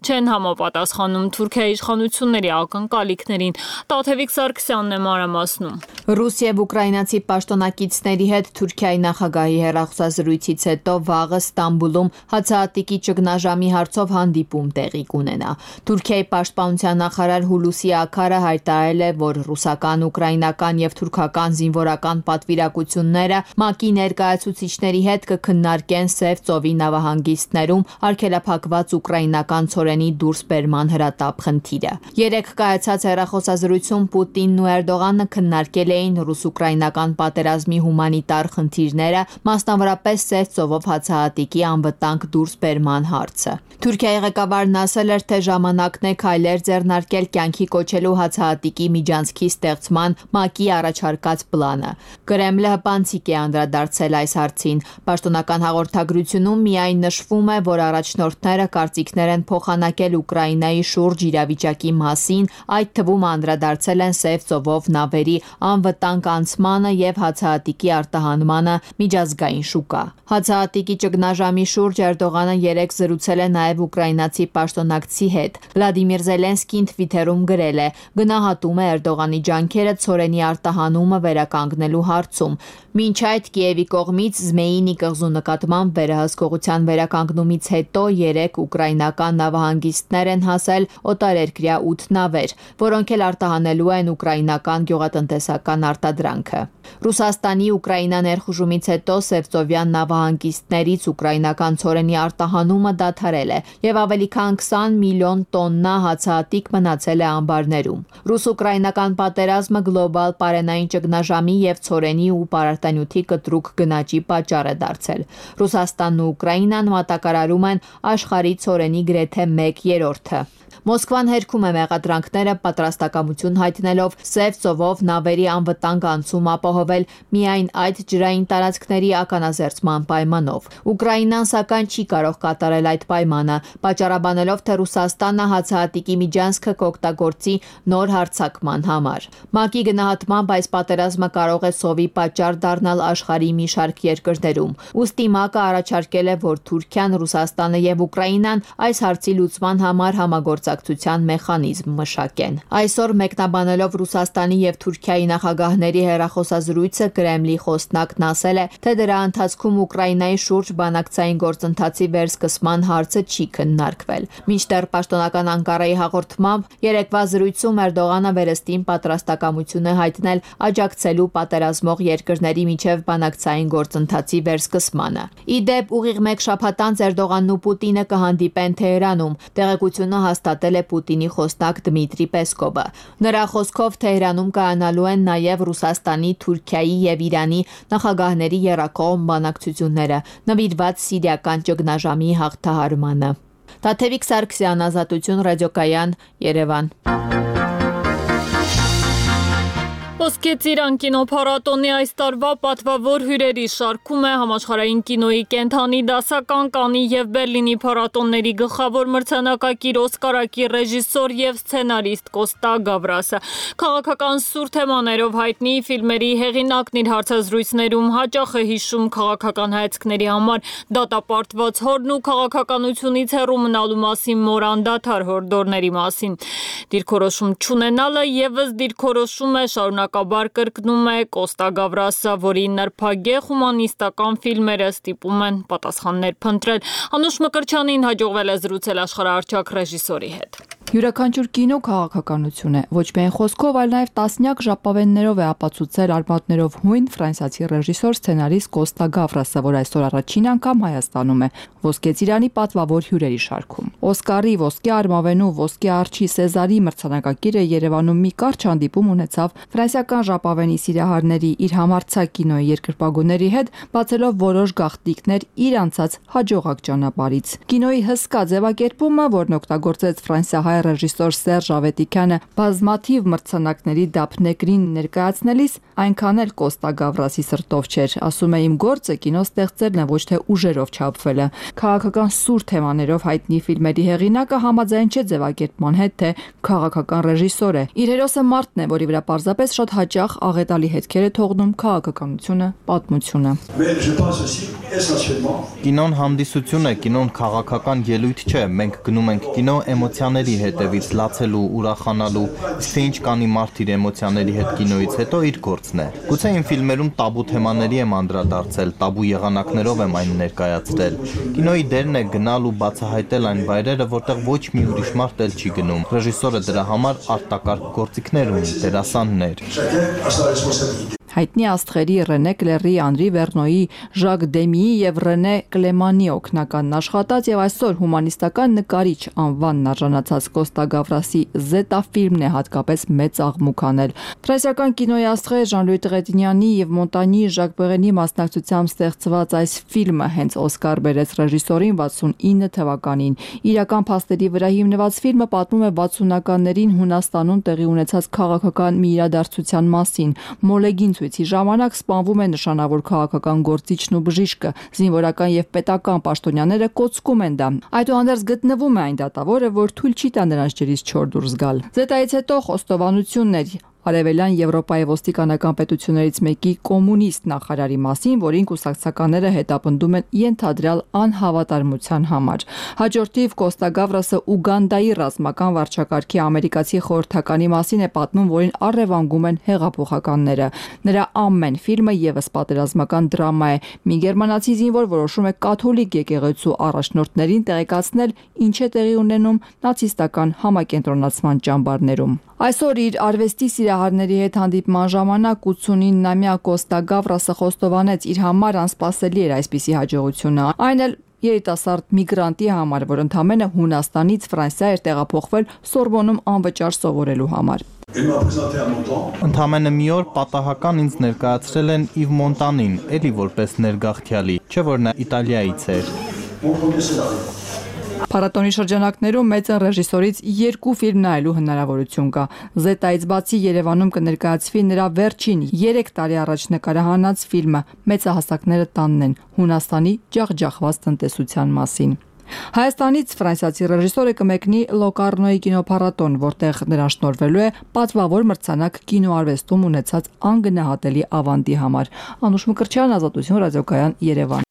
չեն համապատասխանում Թուրքիայի իշխանությունների ակնկալի Տաթևիկ Սարգսյանն է մանրամասնում։ Ռուս եւ ուկրաինացի պաշտոնակիցների հետ Թուրքիայի նախագահի հեռախոսազրույցից հետո վաղը Ստամբուլում հացահատիկի ճգնաժամի հարցով հանդիպում տեղի կունենա։ Թուրքիայի պաշտպանության նախարար Հուլուսի Աքարը հայտարարել է, որ ռուսական, ուկրաինական եւ թուրքական զինվորական պատվիրակությունները ՄԱԿ-ի ներկայացուցիչների հետ կքննարկեն Սև ծովի նավահանգիստներում արգելափակված ուկրաինական ցորենի դուրսբերման հրատապ խնդիրը։ Երեք կայացած հեռախոսազրույցում Պուտինն ու Էրդողանը քննարկել էին ռուս-ուկրաինական պատերազմի հումանիտար խնդիրները, մասնավորապես Սև ծովով հացահատիկի անվտանգ դուրսբերման հարցը։ Թուրքիայի ղեկավարն ասել էր, թե ժամանակն է քայլեր ձեռնարկել կյանքի կոչելու հացահատիկի միջանցքի ստեղծման ՄԱԿ-ի առաջարկած պլանը։ Կրեմլը հպանցիկ է անդրադարձել այս հարցին։ Պաշտոնական հաղորդագրությունում միայն նշվում է, որ առաջնորդները կարծիքներ են փոխանակել Ուկրաինայի շուրջ իրավիճակի մասին, այդ թվում անդրադարձել են Սև ծովով նավերի անվտանգ անցմանը եւ հացահատիկի արտահանմանը միջազգային շուկա։ Հացահատիկի ճգնաժամի շուրջ Էրդողանը երեք զրուցել է նաեւ ուկրաինացի պաշտոնակցի հետ։ Վլադիմիր Զելենսկին Թվիթերում գրել է. գնահատում է Էրդողանի ջանքերը ցորենի արտահանումը վերականգնելու հարցում։ Մինչ այդ Կիևի կողմից Զմեյինի կղզու նկատմամբ վերահսկողության վերականգնումից հետո երեք ուկրաինական նավահանգիստներ են հասել օտարերկրյա ութ նավեր, որոնք էլ արտահանելու են ուկրաինական գյուղատնտեսական արտադրանքը։ Ռուսաստանի Ուկրաինա ներխուժումից հետո Սևծովյան նավահանգիստներից ուկրաինական ցորենի արտահանումը դադարել է եւ ավելի քան քսան միլիոն տոննա հացահատիկ մնացել է ամբարներում։ Ռուս-ուկրաինական պատերազմը գլոբալ պարենային ճգնաժամի եւ ցորենի ու պարարտանյութի կտրուկ գնաճի պատճառ է դարձել։ Ռուսաստանն ու Ուկրաինան մատակարարում են աշխարհի ցորենի գրեթե մեկ երրորդը։ Մոսկվան հերքում է մեղադրանքները պատրաստակամություն հայտնելով Սև ծովով նավերի անվտանգ անցում ապահովել միայն այդ ջրային տարածքների ականազերծման պայմանով։ Ուկրաինան սակայն չի կարող կատարել այդ պայմանը, պատճառաբանելով, թե Ռուսաստանը հացահատիկի միջանցքը կօգտագործի նոր հարձակման համար։ ՄԱԿ-ի գնահատմամբ այս պատերազմը կարող է սովի պատճառ դառնալ աշխարհի մի շարք երկրներում։ Ուստի ՄԱԿ-ը առաջարկել է, որ Թուրքիան, Ռուսաստանը եւ Ուկրաինան այս հարցի լուծման համար համագործակցության մեխանիզմ մշակեն։ Այսօր մեկնաբանելով Ռուսաստանի եւ Թուրքիայի նախագահների հեռախոսազրույցը Կրեմլի խոսնակն ասել է, թե դրա ընթացքում Ուկրաինայի շուրջ բանակցային գործընթացի վերսկսման հարցը չի քննարկվել։ Մինչդեռ պաշտոնական Անկարայի հաղորդմամբ երեկվա զրույցում Էրդողանը վերստին պատրաստակամություն է հայտնել աջակցելու պատերազմող երկրների միջև բանակցային գործընթացի վերսկսմանը։ Ի դեպ, ուղիղ մեկ շաբաթ անց Էրդողանն ու Պուտինը կհանդիպեն Թեհրանում։ Տեղեկությունը հաստատել է Պուտինի խոսնակ Դմիտրի Պեսկովը։ Նրա խոսքով Թեհրանում կայանալու են նաև Ռուսաստանի, Թուրքիայի եւ Իրանի նախագահների եռակողմ բանակցությունները նվիրված սիրիական ճգնաժամի հաղթահարմանը։ Տաթևիկ Սարգսյան, Ազատություն, Ռադիոկայան, Երևան։ Ոսկե ծիրան կինոփառատոնի այս տարվա պատվավոր հյուրերի շարքում է համաշխարհային կինոյի կենթանի դասական Կաննի եւ Բերլինի փառատոնների գլխավոր մրցանակակիր Օսկարակիր ռեժիսոր եւ սցենարիստ Կոստա Գավրասը։ Քաղաքական սուր թեմաներով հայտնի ֆիլմերի հեղինակն իր հարցազրույցներում հաճախ է հիշում քաղաքական հայացքների համար դատապարտված հորն ու քաղաքականությունից հեռու մնալու մասին մոր անդադար հորդորների մասին։ Դիրքորոշում չունենալը եւս դիրքորոշում է շարունակաբար կրկնում է Կոստա Գավրասը, որի նրբագեղ հումանիստական ֆիլմերը ստիպում են պատասխաններ փնտրել։ Անուշ Մկրչյանին հաջողվել է զրուցել աշխարհահռչակ ռեժիսորի հետ։ Յուրաքանչյուր կինո քաղաքականություն է, ոչ միայն խոսքով, այլ նաև տասնյակ ժապավեններով է ապացուցել արմատներով հույն ֆրանսիացի ռեժիսոր սցենարիստ Կոստա Գավրասը, որ այսօր առաջին անգամ Հայաստանում է Ոսկե ծիրանի պատվավոր հյուրերի շարքում։ Օսկարի, Ոսկե արմավենու, Ոսկե արջի, Սեզարի մրցանակակիրը Երևանում մի կարճ հանդիպում ունեցավ ֆրանսիական ժապավենի սիրահարների իր համարձակ կինոյի երկրպագուների հետ, բացելով որոշ գաղտնիքներ իր անցած հաջողակ ճանապարհից։ Կինոյի հսկա ձևակերպումը, որն օգտագործեց ֆրանսիահայ ռեժիսոր Սերժ Ավետիքյանը բազմաթիվ մրցանակների դափնեկրին ներկայացնելիս, այնքան էլ Կոստա Գավրասի սրտով չէր, ասում է իմ գործը կինո ստեղծելն է, ոչ թե ուժերով չափվելը։ Քաղաքական սուր թեմաներով հայտնի ֆիլմերի հեղինակը համաձայն չէ ձևակերպման հետ, թե քաղաքական ռեժիսոր է։ Իր հերոսը մարդն է, որի վրա պարզապես շատ հաճախ աղետալի հետքեր է թողնում քաղաքականությունը, պատմությունը։ Կինոն հանդիսություն է, կինոն քաղաքական ելույթ չէ, մենք գնում ենք կինո էմոցիաների հետևից, լացելու, ուրախանալու, իսկ թե ինչ կանի մարդ իր էմոցիաների հետ կինոից հետո իր գործն է։ Գուցե իմ ֆիլմերում տաբու թեմաների եմ անդրադարձել, տաբու եղանակներով եմ այն ներկայացրել։ Կինոյի դերն է գնալ ու բացահայտել այն վայրերը, որտեղ ոչ մի ուրիշ մարդ էլ չի գնում։ Ռեժիսորը դրա համար արտակարգ գործիքներ ունի, դերասաններ։ Հայտնի աստղերի Ռենե Կլերի, Անրի Վերնոյի, Ժակ Դեմիի եւ Ռենե Կլեմանի օգնականն աշխատած եւ այսօր հումանիստական նկարիչ անվանն արժանացած Կոստա Գավրասի Զետա ֆիլմն է հատկապես մեծ աղմուկ անել։ Ֆրանսիական կինոյի աստղեր Ժան-Լուի Տրետինյանի եւ Մոնտանյի Ժակ Բեղենի մասնակցությամբ ստեղծված այս ֆիլմը հենց Օսկար բերեց ռեժիսորին վաթսունինը թվականին։ Իրական փաստերի վրա հիմնված ֆիլմը պատմում է վաթսունականներին Հունաստանում տեղի ունեցած քաղաքական մի իրադարձության մասին։ Մոլեգին ցույցի ժամանակ սպանվում է նշանավոր քաղաքական գործիչն ու բժիշկը, զինվորական եւ պետական պաշտոնյաները կոծկում են դա։ Այդուհանդերձ գտնվում է այն դատավորը, որ թույլ չի տա նրանց ջրից չոր դուրս գալ։ Զետայից հետո խոստովանություններ Արևելյան Եվրոպայի ոստիկանական պետություններից մեկի կոմունիստ նախարարի մասին, որին կուսակցականները հետապնդում են ենթադրյալ անհավատարմության համար։ Հաջորդիվ Կոստա Գավրասը Ուգանդայի ռազմական վարչակարգի ամերիկացի խորհրդականի մասին է պատմում, որին առևանգում են հեղափոխականները։ Նրա ամեն ֆիլմը եւս պատերազմական դրամա է։ Մի գերմանացի զինվոր որոշում է կաթոլիկ եկեղեցու առաջնորդներին տեղեկացնել, ինչ է տեղի ունենում նացիստական համակենտրոնացման ճամբարներում։ Այսօր իր արվեստի սիրահարների հետ հանդիպման ժամանակ ութսունինամյա Կոստա Գավրասը խոստովանեց իր համար անսպասելի էր այսպիսի հաջողությունը, այն էլ երիտասարդ միգրանտի համար, որ ընդամենը Հունաստանից Ֆրանսիա էր տեղափոխվել Սորբոնում անվճար սովորելու համար։ Ընդամենը մի օր պատահական ինձ ներկայացրել են Իվ Մոնտանին, էլի որպես ներգաղթյալի, չէ որ նա Իտալիայից էր։ Փառատոնի շրջանակներում մեծն ռեժիսորից երկու ֆիլմ նայելու հնարավորություն կա։ Զետայից բացի Երևանում կներկայացվի նրա վերջին երեք տարի առաջ նկարահանած ֆիլմը Մեծահասակները տանն են Հունաստանի ջախջախված տնտեսության մասին։ Հայաստանից ֆրանսիացի ռեժիսորը կմեկնի Լոկարնոյի կինոփառատոն, որտեղ նրան շնորհվելու է պատվավոր մրցանակ կինոարվեստում ունեցած անգնահատելի ավանդի համար։ Անուշ Մկրտչյան, Ազատություն, Ռադիոկայան, Երևան։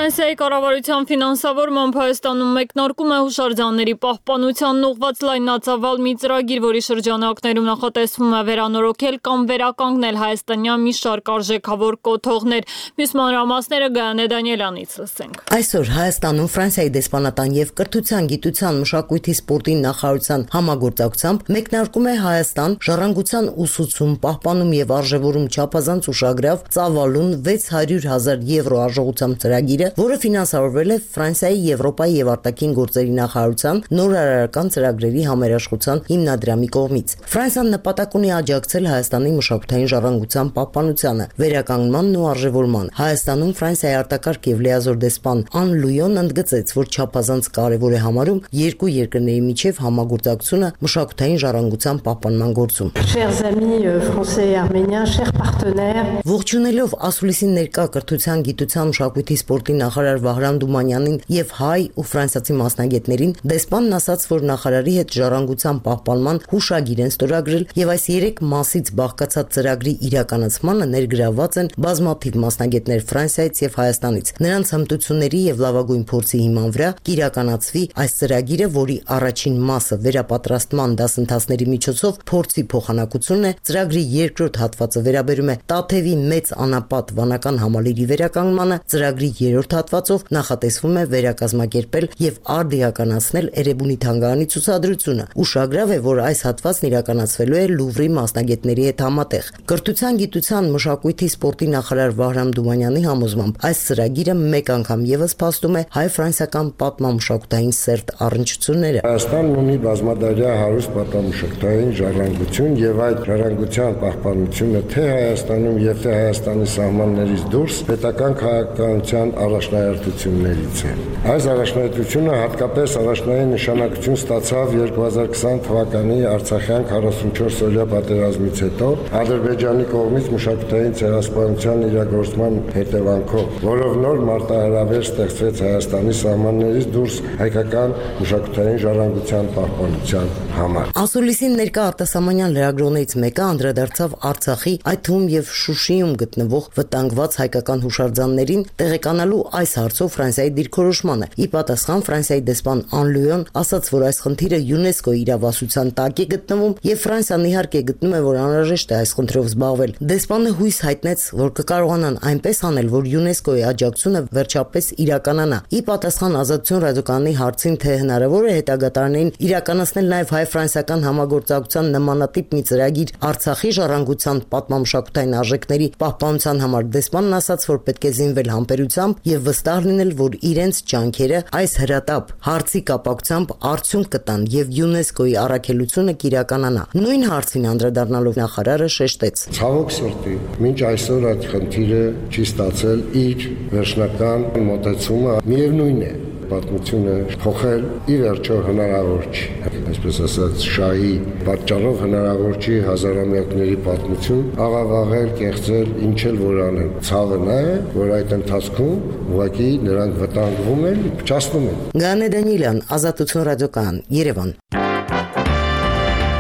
Ֆրանսիայի կառավարության ֆինանսավորմամբ Հայաստանում մեկնարկում է հուշարձանների պահպանությանն ուղղված լայնածավալ մի ծրագիր, որի շրջանակներում նախատեսվում է վերանորոգել կամ վերականգնել հայաստանյան մի շարք արժեքավոր կոթողներ։ Մյուս մանրամասները Գայանե Դանիելյանից լսենք։ Այսօր Հայաստանում Ֆրանսիայի դեսպանատան եւ կրթության, գիտության, մշակույթի, սպորտի նախարարության համագործակցությամբ մեկնարկում է Հայաստան ժառանգության ուսուցում, պահպանում եւ արժեվորում չափազանց ուշագրավ ծավալուն վեց հարյուր հազար եվրո արժողությամբ ծրագիրը, որը ֆինանսավորվել է Ֆրանսիայի, Եվրոպայի եւ արտաքին գործերի նախարարության նորարարական ծրագրերի համերաշխության հիմնադրամի կողմից։ Ֆրանսիան նպատակ ունի աջակցել Հայաստանի մշակութային ժառանգության պահպանությանը, վերականգնմանն ու արժևորման։ Հայաստանում Ֆրանսիայի արտակարգ եւ լիազոր դեսպան Ան Լույոն ընդգծեց, որ չափազանց կարեւոր է համարում երկու երկրների միջև համագործակցությունը մշակութային ժառանգության պահպանման գործում։ Chers amis français et arméniens, chers partenaires, ողջունելով ասուլիսի ներկա կրթության, գիտության, մշակույթի, սպորտի նախարար Վահրամ Դումանյանին եւ հայ ու ֆրանսիացի մասնագետներին, դեսպանն ասաց, որ նախարարի հետ ժառանգության պահպանման հուշագիր են ստորագրել եւ այս երեք մասից բաղկացած ծրագրի իրականացմանը ներգրավված են բազմաթիվ մասնագետներ Ֆրանսիայից եւ Հայաստանից։ Նրանց հմտությունների եւ լավագույն փորձի հիման վրա կիրականացվի այս ծրագիրը, որի առաջին մասը վերապատրաստման դասընթացների միջոցով փորձի փոխանակությունն է, ծրագրի երկրորդ հատվածը վերաբերում է Տաթևի մեծ անապատ վանական համալիրի վերականգնմանը, ծրագրի երրորդ հատվածով նախատեսվում է վերակազմակերպել եւ արդիականացնել Էրեբունի թանգարանի ցուցադրությունը։ Ուշագրավ է, որ այս հատվածն իրականացվելու է Լուվրի մասնագետների հետ համատեղ։ Կրթության, գիտության, մշակույթի, սպորտի նախարար Վահրամ Դումանյանի համոզմամբ այս ծրագիրը մեկ անգամ եւս փաստում է հայ-ֆրանսիական պատմամշակութային սերտ առնչությունները։ Հայաստանն ունի բազմադարյա հարուստ պատմամշակութային ժառանգություն եւ այդ ժառանգության պահպանությունը թե Հայաստանում եւ թե Հայաստանի սահմաններից դուրս պետական քաղաքականության առաջնահերթություններից է։ Այս առաջնահերթությունը հատկապես առաջնային նշանակություն ստացավ երկու հազար քսան թվականի Արցախյան քառասունչորս-օրյա պատերազմից հետո Ադրբեջանի կողմից մշակութային ցեղասպանության իրագործման հետևանքով, որով նոր մարտահրավեր ստեղծվեց Հայաստանի սահմաններից դուրս հայկական մշակութային ժառանգության պահպանության համար։ Ասուլիսին ներկա արտասահմանյան լրագրողներից մեկը անդրադարձավ Արցախի, այդ թվում եւ Շուշիում գտնվող վտանգված հայկական հուշարձաններին տեղեկանալու այս հարցով Ֆրանսիայի դիրքորոշմանը։ Ի պատասխան Ֆրանսիայի դեսպան Անլյուոն ասաց, որ այս խնդիրը ՅՈՒՆԵՍԿՕ-ի իրավասության տակ է գտնվում եւ Ֆրանսիան իհարկե գտնում է, որ անհրաժեշտ է այս խնդրով զբաղվել։ Դեսպանը հույս հայտնեց, որ կկարողանան այնպես անել, որ ՅՈՒՆԵՍԿՕ-ի աջակցությունը վերջապես իրականանա։ Ի պատասխան Ազատություն ռադիոկայանի հարցին, թե հնարավոր է հետագա տարիներին իրականացնել նաեւ հայ-ֆրանսիական համագործակցության նմանատիպ մի ծրագիր Արցախի ժառանգության պատմամշակութային արժեքների պահպանության համար, դեսպանն ասաց, որ պետք է զինվել համբերությամբ եւ վստահ լինել, որ իրենց ջանքերը այս հրատապ հարցի կապակցությամբ արդյունք կտան եւ ՅՈՒՆԵՍԿՕ-ի առաքելությունը կիրականանա։ Նույն հարցին անդրադառնալով նախարարը շեշտեց. Ցավոք սրտի, մինչ այսօր այդ խնդիրը չի ստացել իր վերջնական մոտեցումը, միևնույն է, պատմությունը փոխել ի վերջո հնարավոր չի, այսպես ասած շահի պատճառով հնարավոր չի հազարամյակների պատմություն աղավաղել, կեղծել, ինչ էլ որ անեն։ Ցավը նա է, որ այդ ընթացքում ուղղակի նրանք վտանգվում են, փչացնում են։ Գանե Դանիելյան, Ազատություն ռադիոկայան, Երևան։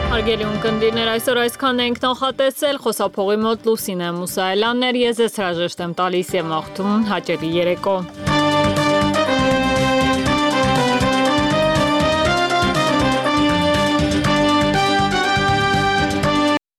Հարգելի ունկնդիրներ, այսօր այսքան ենք նախատեսել, խոսափողի մոտ Լուսինե Մուսայելյանն էր, ես ես հրաժեշտ եմ տալիս եւ մաղթում հաճելի երեկո։